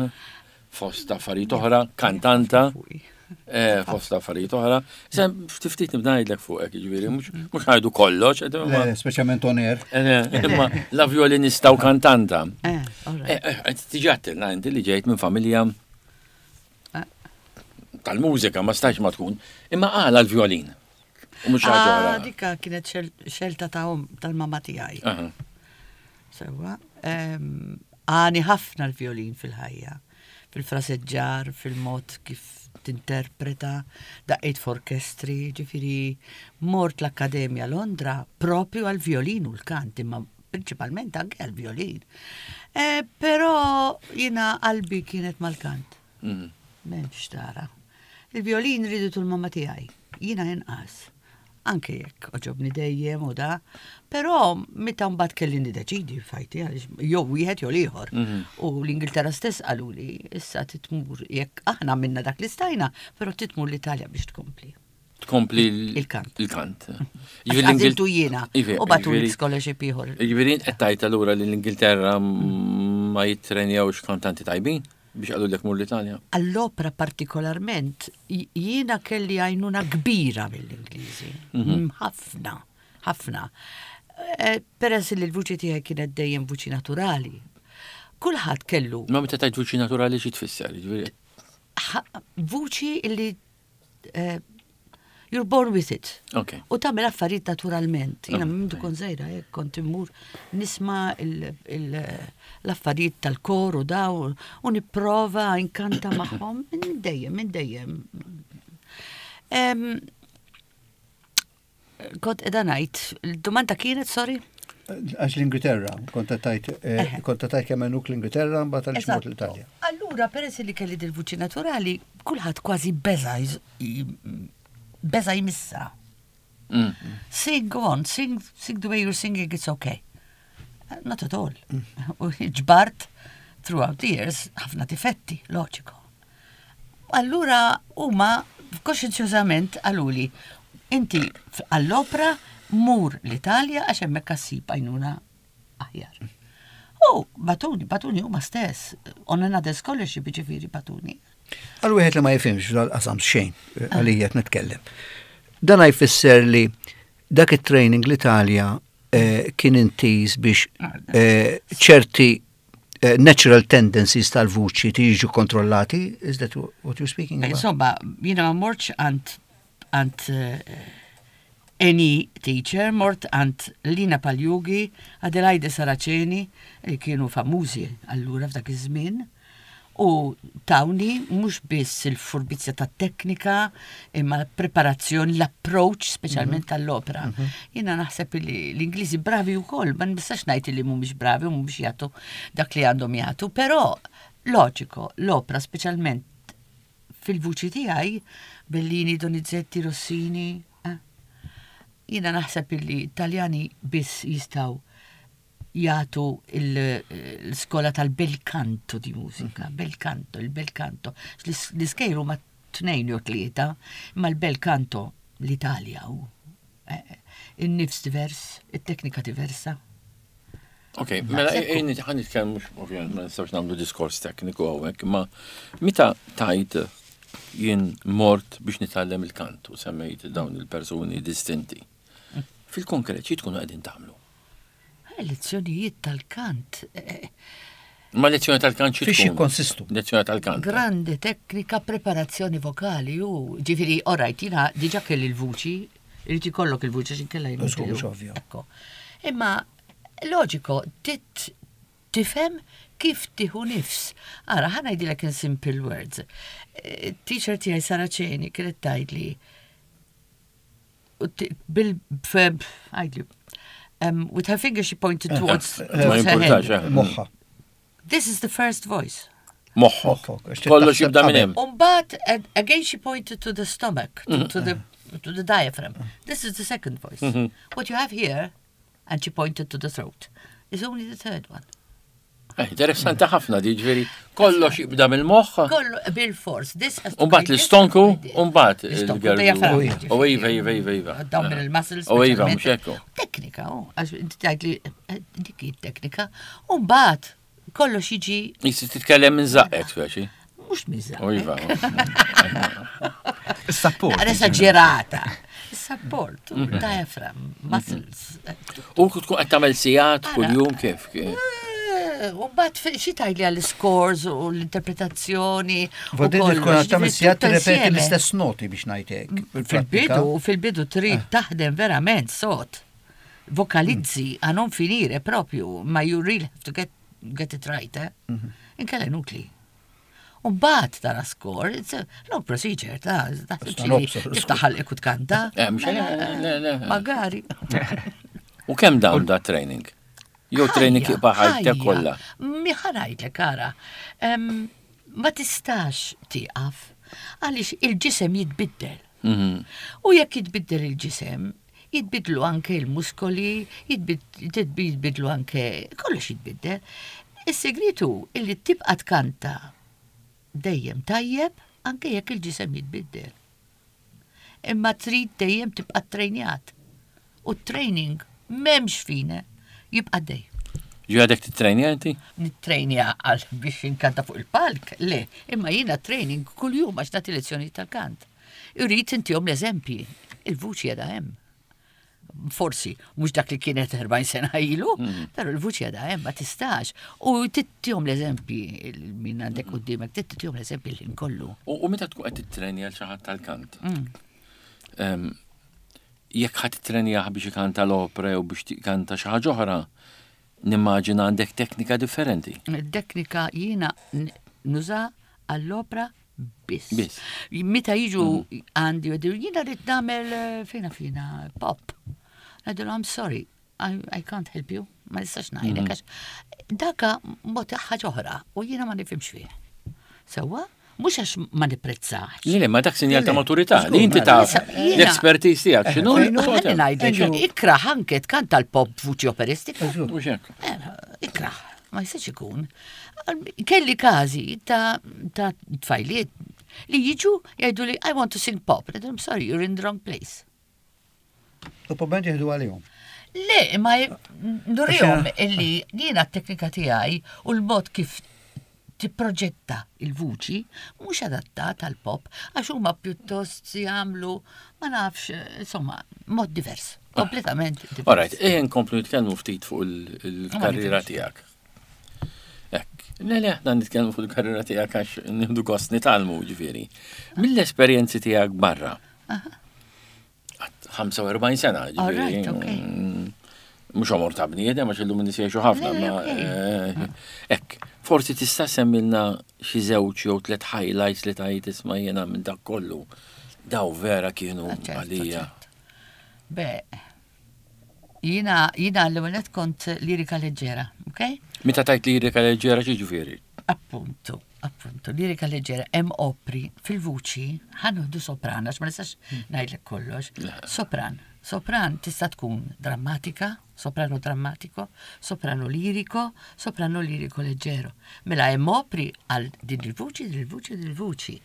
fost affarijiet oħra, kantanta, eh, fost affarijiet oħra. Se ftit nibda ngħidlek fuqek, ġifieri, mhux mhux ngħidu kollox, qed imma- Le, speċjalment on air. eh, imma la violinista u kantanta. Eh, all right. Eh, eh, Tiġi għedtilna inti li ġejt minn familja Eh. tal-mużika, ma stax ma tkun, imma għala l-violin. U mhux ħaġa Ah, oħra. dika kienet xel- xelta ta' om tal-mama tiegħi. Aha. Sewa. Em, Għani ħafna l-violin fil-ħajja. Fil-fraseġġar, fil-mod kif tinterpreta, daqqejt f'orkestri, ġifiri, mort l-Akkademja Londra propju għal-violin u l-kant, imma principalment anke għal-violin. Eh, però jina qalbi kienet mal-kant. Mhm. M'hemmx tara. Il-violin riditu l-mamma tiegħi. Jina inqas. Anke jekk għoġobni dejjem u da, però meta mbagħad kelli niddeċidi fajti għaliex jew wieħed jew l-ieħor. U l-Ingilterra stess qaluli issa titmur jekk aħna minna dak li stajna, però titmur l-Italja biex tkompli. Tkompli l- Il-kant. Il-kant. Għażiltu jiena Ivi, u bagħtuli jiġifieri- scholarship ieħor. Jiġifieri qed tgħid allura li l-Ingilterra ma jittrenjawx kantanti tajbin biex qalulek mur l-Italja. Għall-opra partikolarment, j- jiena kelli għajnuna kbira mill-Ingliżi. Mm, Ħafna, ħafna. Eh, Peress li l-vuċi tiegħi kienet dejjem vuċi naturali. Kulħadd kellu Ma meta tgħid vuċi naturali xi tfisser, jiġifieri. ħa- vuċi li eh, You're born with it. Ok. U tagħmel affarijiet naturalment. Jiena minn kont żgħira hekk kont immur nisma' il- il- l-affarijiet tal-kor u daw u nipprova inkanta magħhom minn dejjem, minn dejjem. Em, Kont qiegħda ngħid, il-domanda kienet, sorry? Għax l-Ingilterra, kont tajt, eh, kont tajt kemm għenuk l-Ingilterra, mbagħad għaliex mort l-Italja. Allura, peress li kelli dil-vuċi naturali, kulħadd kważi beża jż- beża jmissa. Mm. Sing, go on, sing, sing the way you're singing, it's okay. Not at all. U ġbart throughout the years ħafna difetti, loġiko. Allura huma koxenzjużament qaluli, inti f- għall-opra mur l-Italja għax hemmhekk issib għajnuna aħjar. U bagħtuni, bagħtuni huma stess, on another scholarship ġifieri bagħtuni. Għal wieħed li ma jifhimx dal-qasam xejn, eh, għalija qed nitkellem. Dan jfisser li dak it-training l-Italja eh, kien intiż biex eh, ċerti eh, natural tendencies tal-vuċi tiġu kontrollati, is that what you're speaking about? Insomma, jiena ma mortx għand għand eh, any teacher, mort għand Lina Pagliughi, Adelaide Saraceni, li kienu famużi allura f'dak iż-żmien, u tawni mhux biss il-furbizja ta' teknika, imma l-preparazzjoni, l-approach speċjalment tal-opera. Jiena naħseb li l-Ingliżi bravi wkoll, ma nistax ngħid li mhumiex bravi u mhumiex jagħtu dak li għandhom jagħtu, però loġiko, l-opera speċjalment fil-vuċi tiegħi Bellini, Donizetti, Rossini, eh? Jiena naħseb li Italjani biss jistgħu jagħtu l-skola tal-bel canto di mużika, bel canto, il-bel canto. L-iskejjel huma tnejn jew tlieta, imma l-bel canto l-Italja u eh, in-nifs divers, it-teknika diversa. Ok, mela ejja ħa nitkellmu mhux ovvjament ma nistgħux nagħmlu diskors tekniku hawnhekk, imma meta tajt jien mort biex nitgħallem il-kant u semmejt dawn il-persuni distinti. Fil-konkret, xi tkunu qegħdin tagħmlu? Eh, Lezzjonijiet tal-kant, eh, Ma lezzjoni tal-kant xi Fiex tkun? jikkonsistu? Lezzjoni tal-kant. Grande teknika preparazzjoni vokali u ġifieri, alright, jiena diġà kelli l-vuċi, irid ikollok il-vuċi x'inkella Żgur, mhux ovvju. Ekko. Imma loġiko, tit tifhem kif tieħu nifs. Ara, ħa ngħidilek in simple words. Eh, Teacher tiegħi Saraceni kienet tgħidli u ti- bil feb għidli um, with her finger she pointed towards, Ma towards her jimpurtax, head. eh. Moħħa. This is the first voice. Moħħok. Moħħok, għax Kollox taħseb jibda minn qabel. hemm. Umbagħad, and again she pointed to the stomach, to, to the to the diaphragm. This is the second voice. What you have here, and she pointed to the throat, is only the third one. Eh, Interessanti ħafna di ġifieri kollox jibda mill-moħħ. Kollu bil-force. This has to Umbagħad be this, l-istonku, this. umbagħad L-istonku, il-gerdu. diaphragm, U iva, iva, iva, iva. Abdominal muscles. U iva, mhux speċjalment. ekku. Teknika, oh, għax inti tgħidli eh, dik hi teknika. Umbagħad kollox jiġi Jisi titkellem minn żaqqek speċi. mhux miża. U iva. Is-support. Naqra esagerata. Support, diaphragm, muscles. U tkun qed tagħmel sigħat kuljum kif? Eh, U mbagħad xi tgħidli għall-scores u l-interpretazzjoni. u Vodin kollox, tkun għad tagħmel ġifieri sigħat tutto tirrepeti insieme. l-istess noti biex ngħidlek. Fil-bidu, fil-bidu trid taħdem verament sot. Vokalizzi a non finire proprio, ma you really have to get, get it right, eh? Inkella inutli. U mbagħad tara score, it's a long procedure, ta' tiftaħ ħalqek u tkanta. Eh, mhux le, le, le. Magari. U kemm dawn da training? Jew training jibqa' ħajtek kollha. Mi ħa ngħidlek, ara. Em, Ma tistax tieqaf għaliex il-ġisem jitbiddel. Mhm. U jekk jitbiddel il-ġisem, jitbidlu anke il-muskoli, jitbid- jitbidlu anke kollox jitbiddel. Is-segretu illi tibqa tkanta dejjem tajjeb anke jekk il-ġisem jitbiddel. Imma trid dejjem tibqa trejnjat. U training m'hemmx fine, jibqa dej. Ġi għadek titrejnja inti? Nittrejnja għal biex inkanta fuq il-palk, le, imma jiena training kull-jum għax nagħti lezzjoni tal-kant. Irrid intihom l-eżempji, il-vuċi għadha hemm. Forsi, mhux dak li kienet erbgħin sena ilu, però il-vuċi għadha hemm, ma tistax. U tittihom l-eżempji, min għandek quddiemek, tittihom l-eżempji l-ħin kollu. U u meta tkun qed titrejnja għal xi ħadd tal-kant? Mm. Em, Jekk ħadd trenjah biex ikanta l-opera u biex tikanta xi ħaġa oħra, nimmaġina għandek teknika differenti. Teknika jiena n- nuża għall-opra biss. Biss. Meta jiġu għandi u jiena rrid nagħmel eh, fejna fina pop. Ngħidulu I'm sorry, I, I can't help you. Ma nistax ngħidlek għax daka mod ħaġa oħra u jiena ma nifhimx fih. Sewwa, mhux għax ma nipprezzax. Le, le, ma dak sinjal ta' Le, le, maturità, żgur, li inti mela. taf Issa, jiena- l-expertise tiegħek x'inhu. Fejn hu- Ħalli ngħidlek, ikraħ anke tkanta l-pop vuċi operistika. Mhux hekk. Eh, Ikraħ, ma jistax ikun. Kelli każi ta' ta' tfajliet li jiġu jgħidu li I want to sing pop. I'm sorry, you're in the wrong place. U probablement jieħdu għalihom. Le, ma nurihom illi jiena t-teknika tiegħi u l-mod kif tipproġetta il-vuċi mhux adattat għal pop għax huma pjuttost jagħmlu ma nafx, insomma, mod divers, kompletament divers. Alright, ejja nkomplu nitkellmu ftit fuq il- il-karriera nifhimx. tiegħek. Ekk, le le, aħna nitkellmu fuq il-karriera tiegħek għax nieħdu gost nitgħallmu ġifieri. Mill-esperjenzi tiegħek barra. Għat ħamsa u erbgħin sena, ġifieri. Alright, okay. mm, Mhux għomor ta' bniedem, għax illum nies jgħixu ħafna, Le, le, ma okay. eh, Ekk, forsi tista' semmilna xi żewġ jew tliet highlights li tajt isma' jiena minn dak kollu. Daw vera kienu Ah, ċertu, għalija. ċertu. Be, jiena, jiena l-ewwel kont lirika leġġera, ok? Meta tajt lirika leġġera xi ġifieri? Appuntu, appuntu, lirika leġġera, hemm opri fil-vuċi, ħa nieħdu sopran, għax ma nistax ngħidlek kollox. Sopran, sopran tista' tkun drammatika, soprano drammatico, soprano lirico, soprano lirico leggero. Mela hemm opri għal din il-vuċi, din il-vuċi, din il-vuċi.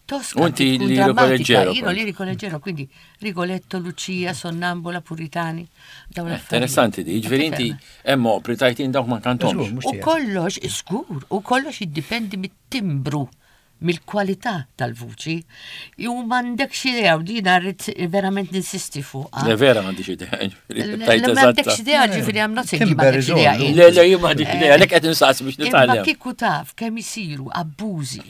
Tosca U inti tkun lirico drammatika, leggero Io kont. lirico leggero, quindi Rigoletto, Lucia, Sonnambula, Puritani. Dawn Eh, l-affarijiet. Interessanti di, ġifieri inti hemm opri tajtin dawk ma kantomx. Żgur, mhux U tiegħek. kollox, żgur, u kollox jiddipendi mit-timbru, mill-kwalità tal-vuċi. Ju m'għandekx idea, u dina rrid verament ninsisti fuqha. Le vera m'għandix idea. ġifieri, Le tajt m'għandekx eżatta. idea, ġifieri I'm not saying li Timber m'għandekx is idea. all. int. Le, le, jien m'għandix idea, għalhekk qed insaqsi biex Imma nitgħallem. kieku taf kemm isiru abbużi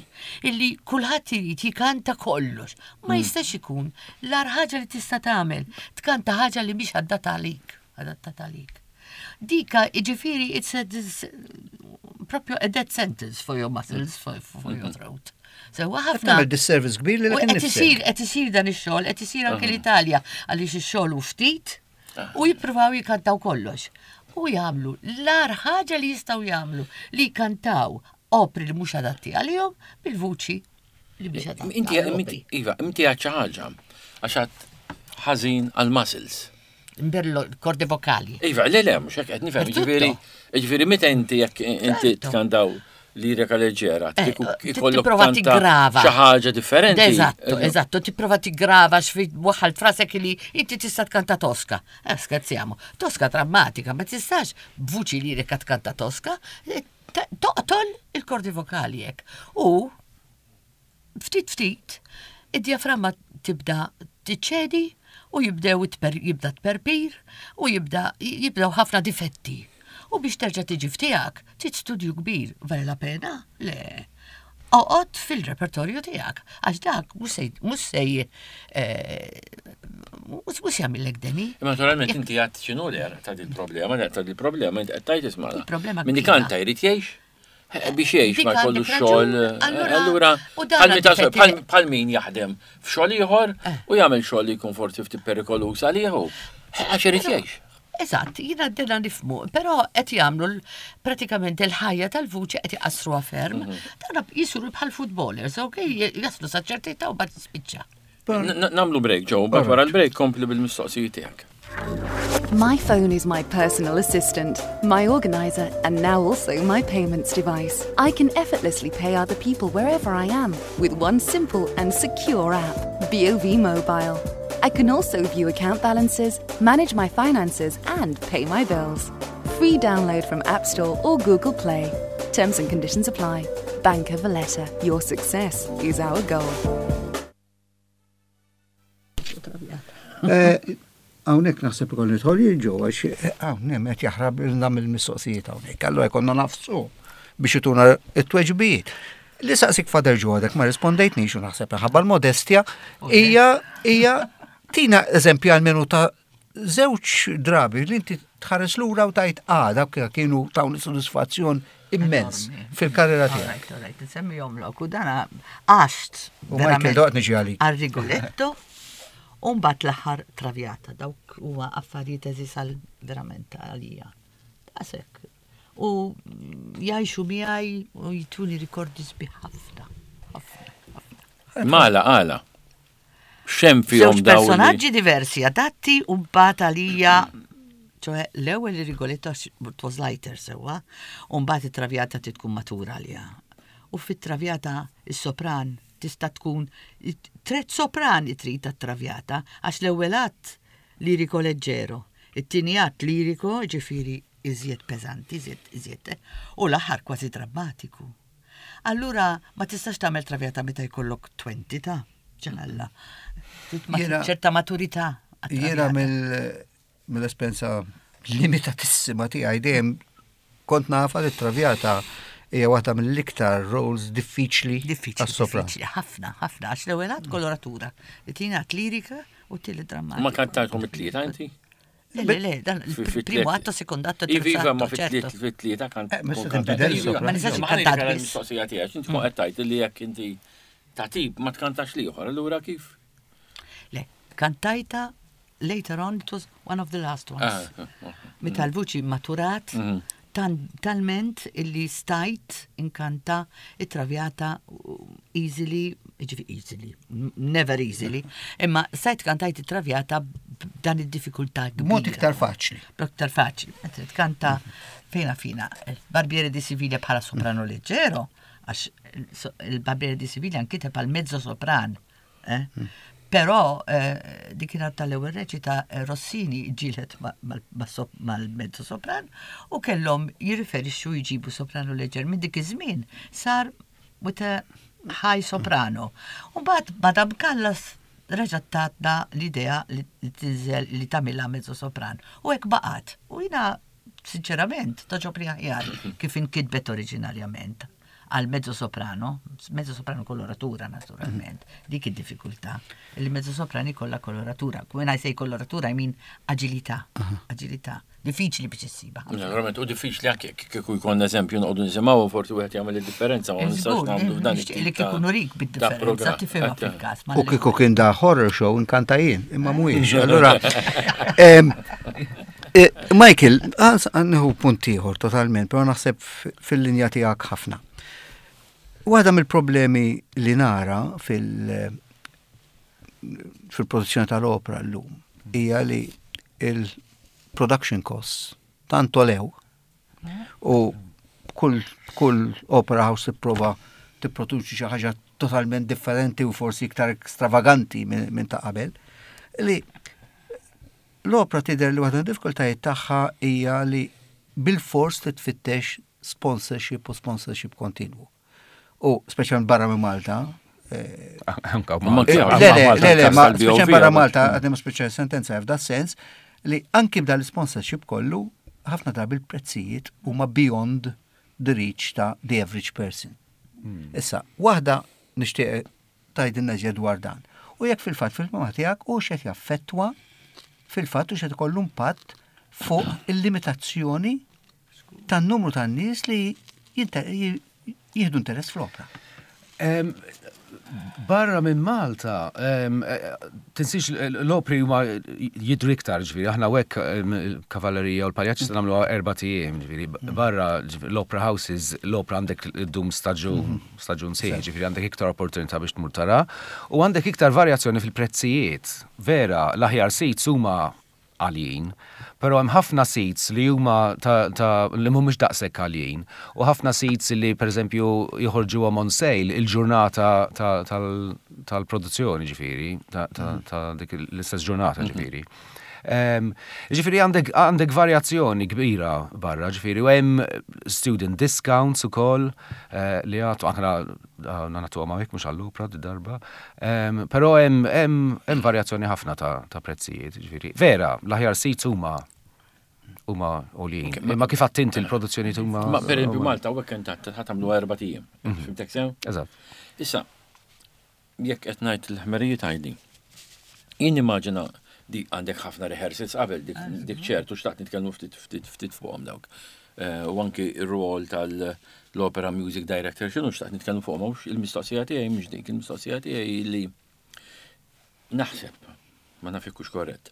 illi kulħadd irid jikanta kollox. Ma jistax ikun l-agħar ħaġa li tista' tagħmel tkanta ħaġa li mhix adattata għalik, adattata għalik. Dika, jiġifieri, it's a dis, proprio a death sentence for your muscles, for, for your throat. So, ħafna. Tagħmel disservice kbir li U lek qed isir, innifsek. qed isir dan ix-xogħol, qed isir anke l-Italja għaliex ix-xogħol hu ftit u jippruvaw jikantaw kollox. U jagħmlu l-agħar ħaġa li jistgħu jagħmlu li jkantaw opri li mhux adatti għalihom bil-vuċi li mhix adatta. Inti, għall-opri. Iva, inti għad xi ħaġa, għax għad ħażin għal-muscles. Imberlo corde vocali. Iva, le, le, mhux hekk qed nifhem, Per tutto. ġifieri, ġifieri meta inti jekk inti Certo. tkantaw lirika leġġera, Eh, kieku ti- ikollok tipprova kanta tiggrava. xi ħaġa differenti. Eżatto, eżatto, tipprova tiggrava xfi waħal frasek li inti tista' tkanta Tosca. Eh, scherziamo. Tosca drammatika, ma tistax b'vuċi lirika tkanta Tosca, eh, ta- toqtol il-kordi vokali hekk. U ftit ftit, id-diaframma tibda tiċċedi u jibdew it-per, jibda tperpir u jibda jibdew ħafna difetti. U biex terġa' tiġi f'tiegħek, trid studju kbir, vale la pena? Le. Oqgħod fil-repertorju tiegħek, għax dak mhux se mhux se eh, mhux mhux jagħmillek deni. Imma naturalment inti għad x'inhu li ta' dil problema, ta' dil problema, inti qed tajt isma' Il-problema Min kbira. kanta jrid jgħix, eh, biex jgħix ma Dik jkollu għandek xogħol. raġun. eh, Allura- Allura, u dan bħal meta- għandek bħal- bħal min jaħdem f'xogħol ieħor u jagħmel xogħol li jkun forsi ftit perikoluż għalih. Eh, Għax irid jgħix. Eżatt, jiena d-dena nifhmu, però qed jagħmlu l- pratikament il-ħajja tal-vuċi qed iqassruha ferm. Dan jisuru bħal footballers, ok, jaslu sa ċertità u bad spiċċa. N- n- Nagħmlu break, Joe, bad wara l-break kompli bil-mistoqsijiet tiegħek. My phone is my personal assistant, my organizer, and now also my payments device. I can effortlessly pay other people wherever I am with one simple and secure app, B O V Mobile. I can also view account balances, manage my finances, and pay my bills. Free download from App Store or Google Play. Terms and conditions apply. Bank of Valletta, your success is our goal. Eh, hawnhekk naħseb ikoll nidħol jien ġew għax eh, hawn qed jaħrab ilna mill-mistoqsijiet hawnhekk. Allura jkollna nafsu biex ituna it-tweġbijiet. Li saqsik Father Joe għadek ma rispondejtnix u naħseb ħabba l-modestja hija hija Tina eżempju għalmenu ta' żewġ drabi li inti tħares lura u tajt ah, dawk kienu tawni sodisfazzjon immens fil-karriera tiegħek. Alright, alright, nsemmihomlok u dana għaxt. U Michael doqt niġi għalik. Għal Rigoletto u mbagħad l-aħħar Traviata, dawk huma affarijiet eżis għal verament għalija. Daqshekk. U jgħixu miegħi u jtuni rikordi sbieħ ħafna. Ħafna, ħafna. Mala, għala. Xem fihom Żewġ dawn. li- personaġġi diversi adatti u mbagħad għalija ċoħe l-ewwel Rigoletto għax it was lighter sewwa, u mbagħad it-Traviata trid tkun matura għalija. U fit-Traviata is-sopran tista' tkun tret sopran trid tat-Traviata għax l-ewwel att lirico leggero, it-tieni att lirico ġifieri iżjed peżanti, iżjed iżjed, u l-aħħar kważi drammatiku. Allura ma tistax tagħmel Traviata meta jkollok twenty ta' ġanalla. Trid ma- Jiena- ċerta maturità. Jiena għat-Traviata. mill- mill-esperjenza limitatissima tiegħi dejjem kont nafa li Traviata hija waħda mill-iktar roles diffiċli Diffiċli, għas-sopran. diffiċli, ħafna, ħafna, għax l-ewwel att koloratura, it-tieni att lirika u t-tielet drammatika. Ma kantajtkom it-tlieta inti? Le, le, le, dan Fi- fi il-primo tliet. atto, secondo atto, Iva, terzo iva, ma atto, certo. fit-tlieta kant. Eh, ma se kont tinbidel kantat. is-sopran. Ma nistax Ma inkantat ħanik għal biss. mistoqsija tiegħek, inti tkun qed tgħid li jekk inti ta' tip ma tkantax l-ieħor, allura kif? Le, kantajta later on, it was one of the last ones. Ah, ah, ah. Meta l-vuċi maturat, Mhm. tan- talment illi stajt inkanta it-Traviata easily, ġifi easily, n- never easily, imma stajt kantajt it-Traviata b'dan id-diffikultà kbira. Mod iktar faċli. B'mod iktar faċli. Mentre tkanta fejna fina, il-Barbiere di Siviglia bħala soprano leggero, għax il-Barbiere di Siviglia nkiteb għal mezzo sopran. Eh? Però eh, dik kienet tal-ewwel reċita eh, Rossini ġilet mal-mezzo sopran u kellhom jirriferixxu jġibu soprano leġer minn dik iż-żmien sar with a high soprano. U mbagħad Madame Callas reġgħet tatna l-idea li tinżel li tagħmilha mezzo sopran. U hekk baqgħet. U jiena sinċerament togħġobni aħjar kif inkitbet oriġinarjament għal mezzo soprano, mezzo soprano koloratura naturalment, dik id-diffikultà. Il mezzo soprani kollha koloratura. When I say koloratura, I mean agilità, agilità. Diffiċli biex issiba. Naturalment, u diffiċli anke kieku jkun eżempju noqogħdu nisimgħu forsi wieħed jagħmel id-differenza ma nistax nagħmlu f'dan Nixtieq li kieku nurik bid-differenza tifhimha fil-każ. U kieku kien da horror show inkanta jien, imma mhuwiex. Allura, em, eh, Michael, għanniħu punt ieħor totalment, però naħseb fil-linja tiegħek ħafna. Waħda mill-problemi li nara fil- fil-produzzjoni tal-opera llum hija li il-production costs tant għolew u kull kull opera house tipprova tipproduċi xi ħaġa totalment differenti u forsi iktar ekstravaganti minn min ta' qabel, li l-opera tidher li waħda diffikultajiet tagħha hija li bil-fors titfittex sponsorship u sponsorship kontinwu. U speċjalment barra minn Malta, eh, Anka Ma Malta. kif- Le, le, le, le, ma Tal-B O V speċjalment barra għabba. Malta, għadni ma speċjal sentenza f'da sens li anki b'dal sponsorship kollu, ħafna drabi il-prezzijiet huma beyond the reach ta' the average person. Issa, waħda nixtieq tgħidilna iżjed dwar dan. U jekk fil-fatt fil-fehma tiegħek u x'qed jaffettwa fil-fatt u x'qed ikollu impatt fuq il-limitazzjoni tan-numru tan-nies li jinte- jieħdu interess fl-opra. Em, Barra minn Malta, em, eh, tinsiex l-opri huma jidru iktar, ġifieri, aħna hekk il-kavallerija u l-paljaċ se nagħmlu erbat ijiem, ġifieri, barra ġifieri, l-opera houses, l-opera għandek id-dum staġun, staġun sħiħ, ġifieri għandek iktar opportunità biex tmur tara, u għandek iktar varjazzjoni fil-prezzijiet. Vera, l-aħjar seats huma għaljin, pero hemm ħafna seats li huma ta', ta li mhumiex daqshekk għaljin, u ħafna seats li pereżempju joħorġuhom on sale il-ġurnata ta- tal- tal-produzzjoni ġifieri, ta', ta, ta dik l-istess ġurnata ġifieri. Em, Ġifieri għandek għandek varjazzjoni kbira barra, ġifieri, u hemm student discounts ukoll eh, li għatu aħna nagħtu għamawek mhux għall-opra darba. Em, Però hemm hemm hemm varjazzjoni ħafna ta' ta' prezzijiet, ġifieri. Vera, l-aħjar seats huma huma għoljin. Imma kif għedt inti l-produzzjoni huma. Ma per esempio Malta u hekk int ħa tagħmlu erbat ijiem. Fhimtek sew? Eżatt. Issa, jekk qed ngħid il-ħmerijiet għajdi. Jien nimmaġina di għandek ħafna rehearsals qabel dik dik ċertu xtaqt nitkellmu ftit ftit ftit fuqhom dawk. Eh, U anki ir-rol tal-opera music director x'inhu xtaqt nitkellmu fuqhom mhux il-mistoqsija tiegħi mhux dik, il-mistoqsija tiegħi li naħseb ma naf hux korrett.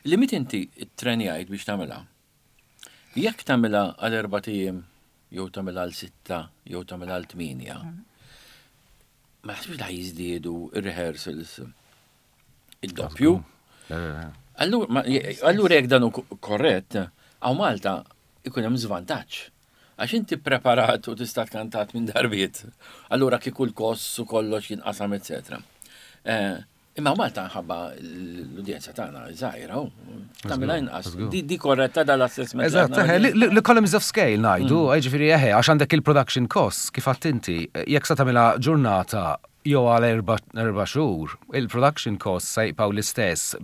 Li meta inti ttrenjajt biex tagħmilha. Jekk tagħmilha għal erbat ijiem jew tagħmilha għal sitta jew tagħmilha għal tmienja, ma naħsibx li jiżdiedu ir-rehearsals id-doppju. Allura, ma- allura jekk dan hu korrett, hawn Malta ikun hemm żvantaġġ. Għax inti preparat u tista' tkantat minn darbiet. Allura kieku l-kost u kollox jinqasam, eccetera. Eh, Imma Malta ħabba l-udjenza tagħna żgħira, u tagħmilha inqas. Di di korretta dal-assessment. li Eżatt, aħna eħe, għamilna? li- l-economies of scale ngħidu, ġifieri eħe, għax għandek il-production costs, kif għedt inti, jekk sa tagħmilha ġurnata jew għal erba' erba' xhur, il-production costs se jibqgħu l-istess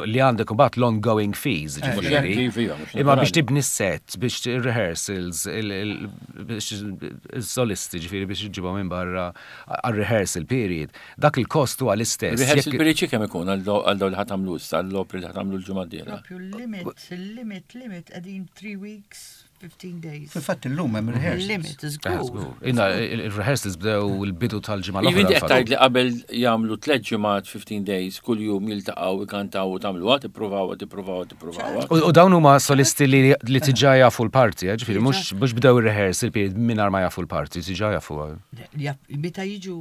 li għandek imbagħad l-ongoing fees, ġifieri. Mhux hekk, iva, mhux Imma biex naturali. tibni s-set, biex rehearsals, biex il-solisti, ġifieri biex iġibhom minn barra għal-rehearsal period, dak il-kost huwa l-istess. Rehearsal Jekk- period kemm ikun għal daw għal daw li ħa tagħmlu issa, għall-opri li ħa tagħmlu l-ġimgħa d-dieħla. Propju limit, limit, limit, qegħdin three weeks, fifteen days. Fil-fatt illum hemm rehearsals. Limit, Eh, żgur. żgur. Inna, il-rehearsals bdew il-bidu tal-ġimgħa Jiġifieri l-oħra. qed tgħid li qabel jagħmlu tliet ġimgħat fifteen days kull jum jiltaqgħu ikantaw u tagħmluha tippruvaw tippruvaw tippruvaw. U u dawn huma solisti li li diġà jafu l-parti, eh, ġifieri mhux mhux bdew ir-rehearsal period mingħajr ma jafu l-parti, diġà jafu. Jaf- Meta jiġu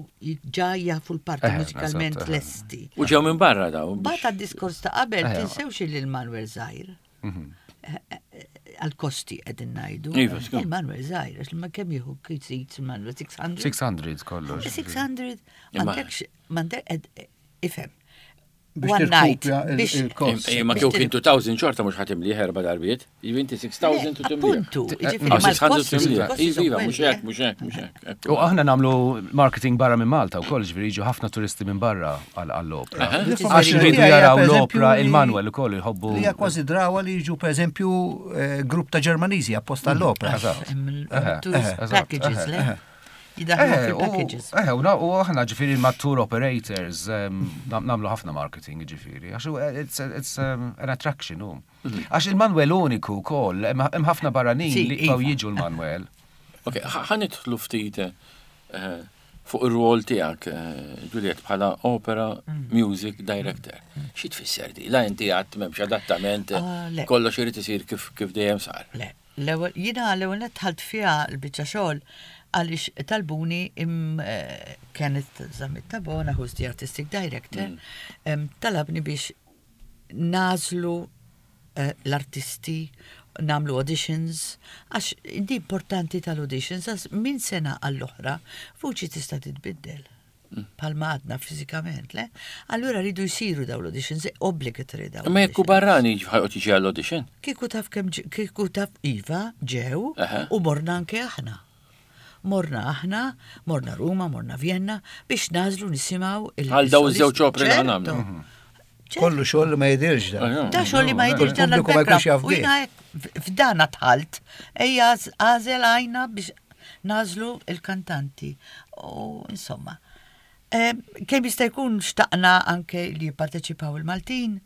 ġa jafu l-parti Eh, mużikalment eżatt, eh. lesti. U ġew minn barra daw. biex- Bat għad-diskors ta' qabel, Eh, tinsewx li l-Manuel żgħir. Għal-kosti qegħdin ngħidu. Iva, skur. Il-Manuel żgħir, għax ma kemm jieħu seats il-Manuel sitt mija? sitt mija kollox. sitt mija, Imma- m'għandekx, m'għandek, ifhem. Biex One night, tirkupja il- biex- il-kost. Imma kieku kien elfejn xorta mhux ħa timli erba' darbiet. Jiġifieri inti sitt elef u timli. Appuntu, ġifieri Ah, sitt mija mal-kosti. timli. il-kosti Iva, iva, mhux sono hekk, mhux hekk, mhux hekk. U aħna nagħmlu marketing barra minn Malta wkoll, ġifieri jiġu ħafna turisti minn barra għall-opra. Għax iridu jaraw l-opra il-Manuel ukoll jħobbu. Li hija kważi drawa li jiġu per eżempju eh, grupp ta' Ġermaniżi apposta l-opra. Eżatt. Tourist Eżatt, packages, le? Jidaħlu Eh, u fil-packages. eh, u na- u aħna ġifieri ma' tour operators em, nam- nagħmlu ħafna marketing ġifieri. Għax hu, eh, it's, it's um, an attraction u. Għax il-Manuel uniku wkoll, hemm hemm ħafna barranin Sì, li jibqgħu iva. jiġu l-Manuel. Ok, ħa nidħlu ftit eh, fuq ir-rol tiegħek, eh, Juliet, bħala opera music director. Xi tfisser di? La inti għad m'hemmx adattament, Ah, le. kollox irid isir kif kif dejjem sar. Le, l-ewwel jiena l-ewwel nett dħalt fiha l-biċċa xogħol għaliex talbuni im eh, Kenneth Zammit Tabona, who's the artistic director, em, talabni biex nagħżlu eh, l-artisti, nagħmlu auditions, għax di importanti tal-auditions, għax minn sena għall-oħra vuċi tista' titbiddel. Bħalma għadna fizikament, le? Allura rridu jsiru daw l-auditions, obligatory daw. Imma jekk hu l-auditions. barrani ħa joqgħod jiġi għall-audition. Kieku taf kemm ġ- kieku taf iva ġew Aha. u morna anke aħna. Morna aħna, morna Ruma, morna Vienna biex nagħżlu nisimgħu il Għal daw iż-żewġ il-solisti. opri li Ċerto. ħa nagħmlu. Ċerto. Kollu xogħol li ma jidirx da. Da xogħol li ma jidirx dan Il-pubbliku ma jkunx l-background. jaf U bih. jiena hekk f'dan dħalt, ejja għażel għajna biex nagħżlu il-kantanti. U insomma, eh, kemm jista' jkun xtaqna anke li jipparteċipaw il-Maltin,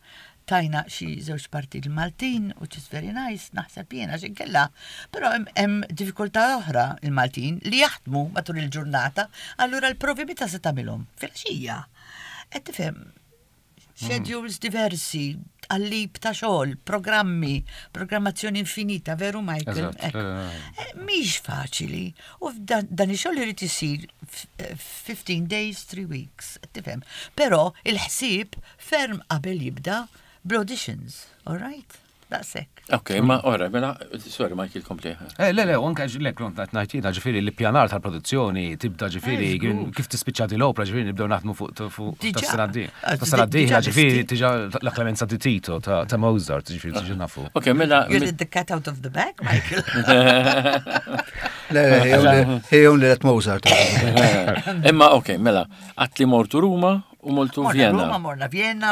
tajna xi żewġ parti il-Maltin, which is very nice, naħseb jiena xi kella. Però hemm- hemm diffikultà oħra il-Maltin li jaħdmu matul il-ġurnata, allura l-provi meta se tagħmilhom? Filgħaxija. Qed tifhem, schedules diversi, għallib ta' xogħol, programmi, programmazzjoni infinita, veru Michael? Eżatt, Ekku. eh, Eh, Mhix faċili. U f'dan dan ix-xogħol irid isir f- eh, fifteen days, three weeks, tifhem. Però il-ħsieb ferm qabel jibda bl-auditions, all right? Daqshekk. Ok, ma ora, mela, sorry Michael, kompli. Eh, le, le, u anke le, kont qed ngħid jiena ġifieri l-ippjanar tal-produzzjoni tibda ġifieri Eh, żgur. kif tispiċċa di l-opra ġifieri nibdew naħdmu fuq fuq Diġà. tas-sena d Eh, Tas-sena d-dieħla diġà ġifieri lesti. diġà la Clemenza di Tito ta' ta' Mozart ġifieri diġà nafu. Ok, mela, You let the cat out of the bag, Michael. Le, le, he only let Mozart. imma ok, mela, għedt li mortu Ruma u mortu Morna Vienna. Ruma, morna Vienna,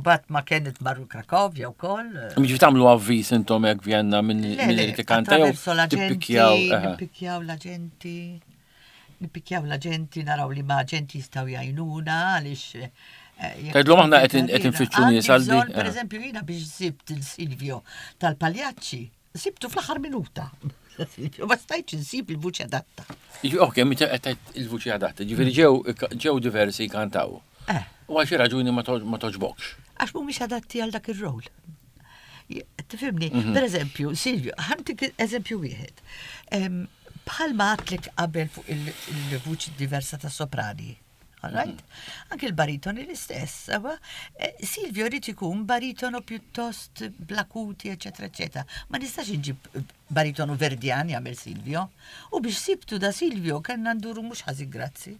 bat ma kienet marru Krakovja u koll. Mġi tagħmlu avviż intom hekk Vienna minn Le, minn le, li tikanta jew attraverso l-aġenti, tippikjaw. eħe. nippikjaw l-aġenti, nippikjaw l-aġenti, naraw li ma aġenti jistgħu jgħinuna, għaliex Eh, Tgħidlhom aħna qed qed infittxu nies għal di. Per eżempju, jiena biex sibt il-Silvio tal-Pagliacci, sibtu fl-aħħar minuta. Silvio, ma stajtx insib il-vuċi adatta. Ok, meta qed tgħid il-vuċi adatta, ġifieri ġew ġew diversi jkantaw. Eh. U għal xi raġuni ma toġ- ma toġbokx. Għax mhumiex adatti għal dak ir-rol. Tifhimni, per eżempju, Silvio, ħa ntik eżempju wieħed. Em, Bħalma għedtlek qabel fuq il- il-vuċi diversa ta' soprani. All right? Anke il-baritoni l-istess. Sewa? Eh, Silvio rrid ikun baritono pjuttost bl-acuti, eccetera, eccetera. Ma nistax inġib baritono verdjan jagħmel Silvio. U biex sibtu da Silvio kellna nduru mhux ħażin grazzi.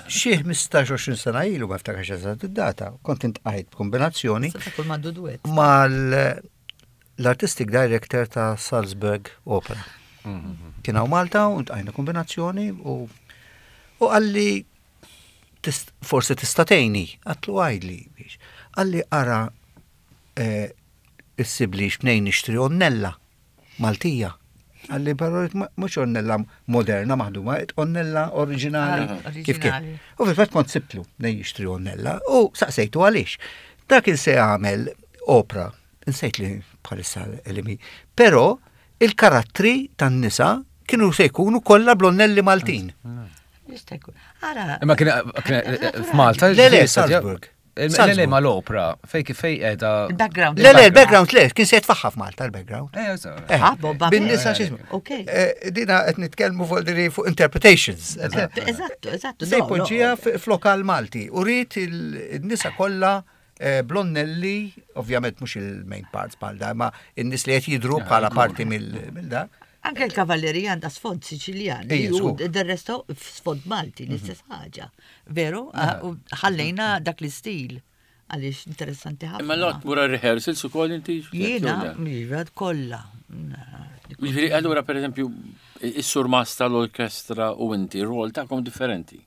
Xi ħmistax sena ilu ma ftakarx eżatt id-data, kont iltqajt b'kombinazzjoni Seta kull mandu duet. mal l-artistic director ta' Salzburg Opera. Kien hawn Malta u ltqajna kombinazzjoni u u qalli tist- forsi tista' tgħinni, għedtlu għidli biex. Qalli ara eh, issibli x'mnejn nixtri onnella Maltija. Qalli però mhux onnella moderna maħduma, onnella oriġinali. Ah, Kif kien. oriġinali. U fil-fatt kont sibtlu mnejn jixtri onnella u saqsejtu għaliex. Dak il se jagħmel opra, insejt li bħalissa elimi, però il-karattri tan-nisa kienu se jkunu kollha blonnelli Maltin. Jista' jkun. Ara. Imma kien kien- f'Malta. Le, le, Salzburg. Le, le, Salzburg. ma l-opra. Fej fej qiegħda. Il-background. Le, le, il-background le, kien se jitfaħħa f'Malta il-background. Eh, so. Eh, Ah, boba. Bin-nisa x'ismu. Ok. Eh, Dina qed nitkellmu fuq diri fuq interpretations. Eżattu, eżattu. Se no, no. jpoġġiha f'lokal Malti u rrid il-nisa kollha eh, blonnelli, ovvjament mhux il-main parts bħal da, ma in-nies li qed jidru bħala parti mill da. Anke l-kavallerija għandha sfond Siċiljan, Ejja, li hu żgur. del resto sfond Malti, l-istess ħaġa. Veru? Ah, u Ħallejna dak l-istil għaliex interessanti ħafna. Imma lot mura rehearsals ukoll inti? Jiena, iva, kollha. Ġifieri, allura per eżempju, is-surmast tal-orkestra u inti, r-rol tagħkom differenti.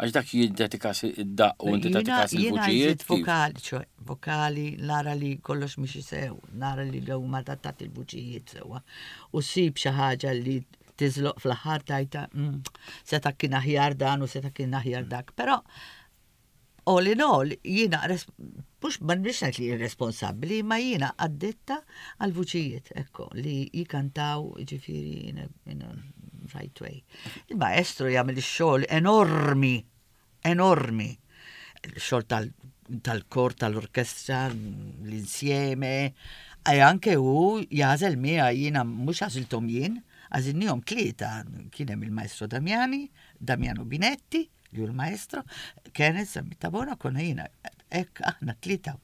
Għax dak jiddedikas id-daq u inti Jiena tagħti jiena il-vuċijiet. jżid vokali, ċoè, vokali, nara li kollox mhix sew, nara li l ma adattat il-vuċijiet sewwa. U sib xi ħaġa li tiżloq fl-aħħar tajta, mm, seta kien aħjar dan u seta kien aħjar dak. Però all in all, jiena res- mhux ma nbix ngħid li responsabbli, ma jiena għaddetta għal vuċijiet, ekko, li jikantaw ġifieri in a, in a right way. Il-maestro jagħmel ix-xogħol enormi, enormi. Il-xogħol tal- tal-kor, tal-orkestra, l-insieme, e anke hu jagħżel miegħi jiena mhux għażilthom jien, għażilnihom tlieta, kien hemm il-maestro Damiani, Damiano Binetti, li hu l-maestro, Kenneth Zammit Tabona, konna jiena, hekk aħna tlieta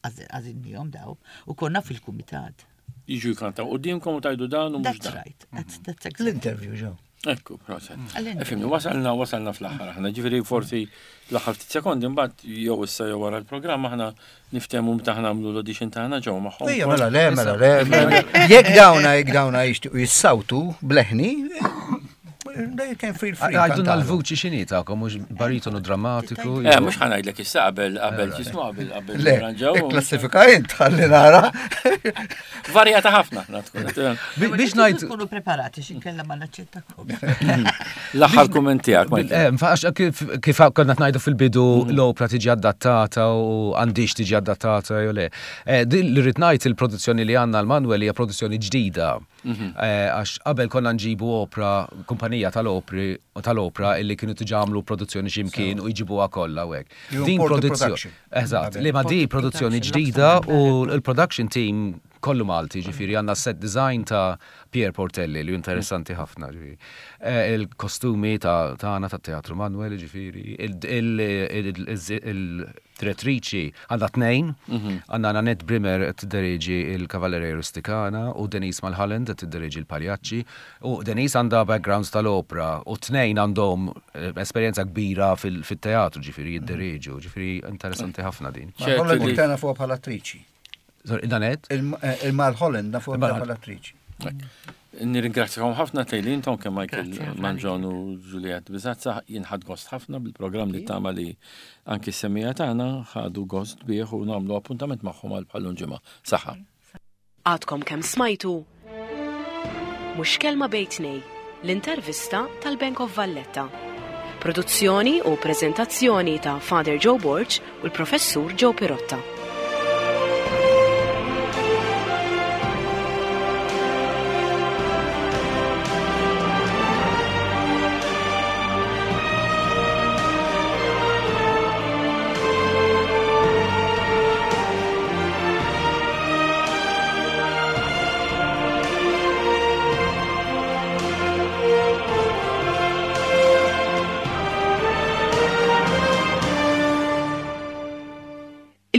għażilnihom daw, u konna fil-kumitat. Jiġu jkantaw qudiemkom u tgħidu dan u mhux That's dan. right, that's, that's exactly. L-interview ġew. Ekku, proset. Għall-interview. Ifhimni, wasalna, wasalna fl-aħħar aħna, ġifieri forsi l-aħħar ftit sekondi mbagħad jew issa jew wara l-programm aħna niftehmu meta aħna nagħmlu l-audition tagħna ġew magħhom. Ejja, mela le, mela le. mela. Jekk dawna, jekk dawna jixtiequ jissawtu bleħni, they can feel free. Għajdunna kantalu. l-vuċi x'inhi tagħkom, mhux baritonu drammatiku. Eh, mhux ħa ngħidlek issa qabel qabel ġismu qabel qabel Le, nirranġaw. klassifika int, ħalli nara. Varjata ħafna aħna tkun. Bi- Biex Intom ngħid Tkunu preparati x'inkella ma naċċettakom. L-aħħar kumment tiegħek, Michael. Eh, Għax kif kif konna ngħidu fil-bidu l-opra tiġi adattata u għandix tiġi adattata jew le. Eh, Din li rrid ngħid il-produzzjoni li għandna l-Manuel hija produzzjoni ġdida. Eh, Għax qabel konna nġibu opra, kumpanija tal-opri tal-opra illi kienu diġà għamlu produzzjoni x'imkien u jġibuha kollha u hekk. You Din import the produzzjoni. production. Eżatt, li ma di produzzjoni Production, ġdida u Luxembourg. l-production team kollu Malti, ġifieri għandna set design ta' Pier Portelli li interessanti ħafna. Ġifieri. Eh, Il-kostumi ta' tagħna ta' Teatru Manuel, ġifieri, il-direttriċi għandna tnejn, għandna Nanette Brimmer tiddereġi il-Cavalleria Rusticana u Denise Mulholland tiddereġi il-Pagliacci u Denise għandha backgrounds tal-opera u tnejn għandhom eh, esperjenza kbira fil-teatru, ġifieri jiddereġu, ġifieri interessanti ħafna din. Mal-Holland tana fuq bħala attriċi. Sorry, Nanette? Il-Mal-Holland nafu Il-Mal- bħala attriċi. Nirringrazzjakom ħafna tejli intom kemm Michael Grazzi ħafna Manġon u Juliet Bizazza jien ħadt gost ħafna bil-programm li tama li anki s-semmiegħa tagħna ħadu gost bih u nagħmlu appuntament magħhom għal bħal ġimgħa. Saħħa. Għadkom kemm smajtu Mhux kelma bejn tnejn, l-intervista tal-Bank of Valletta. Produzzjoni u preżentazzjoni ta' Father Joe Borg u l-Professur Joe Pirotta.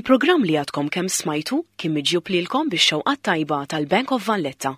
Il-programm li għadkom kemm smajtu kien miġjub lilkom bix-xewqat tajba tal-Bank of Valletta.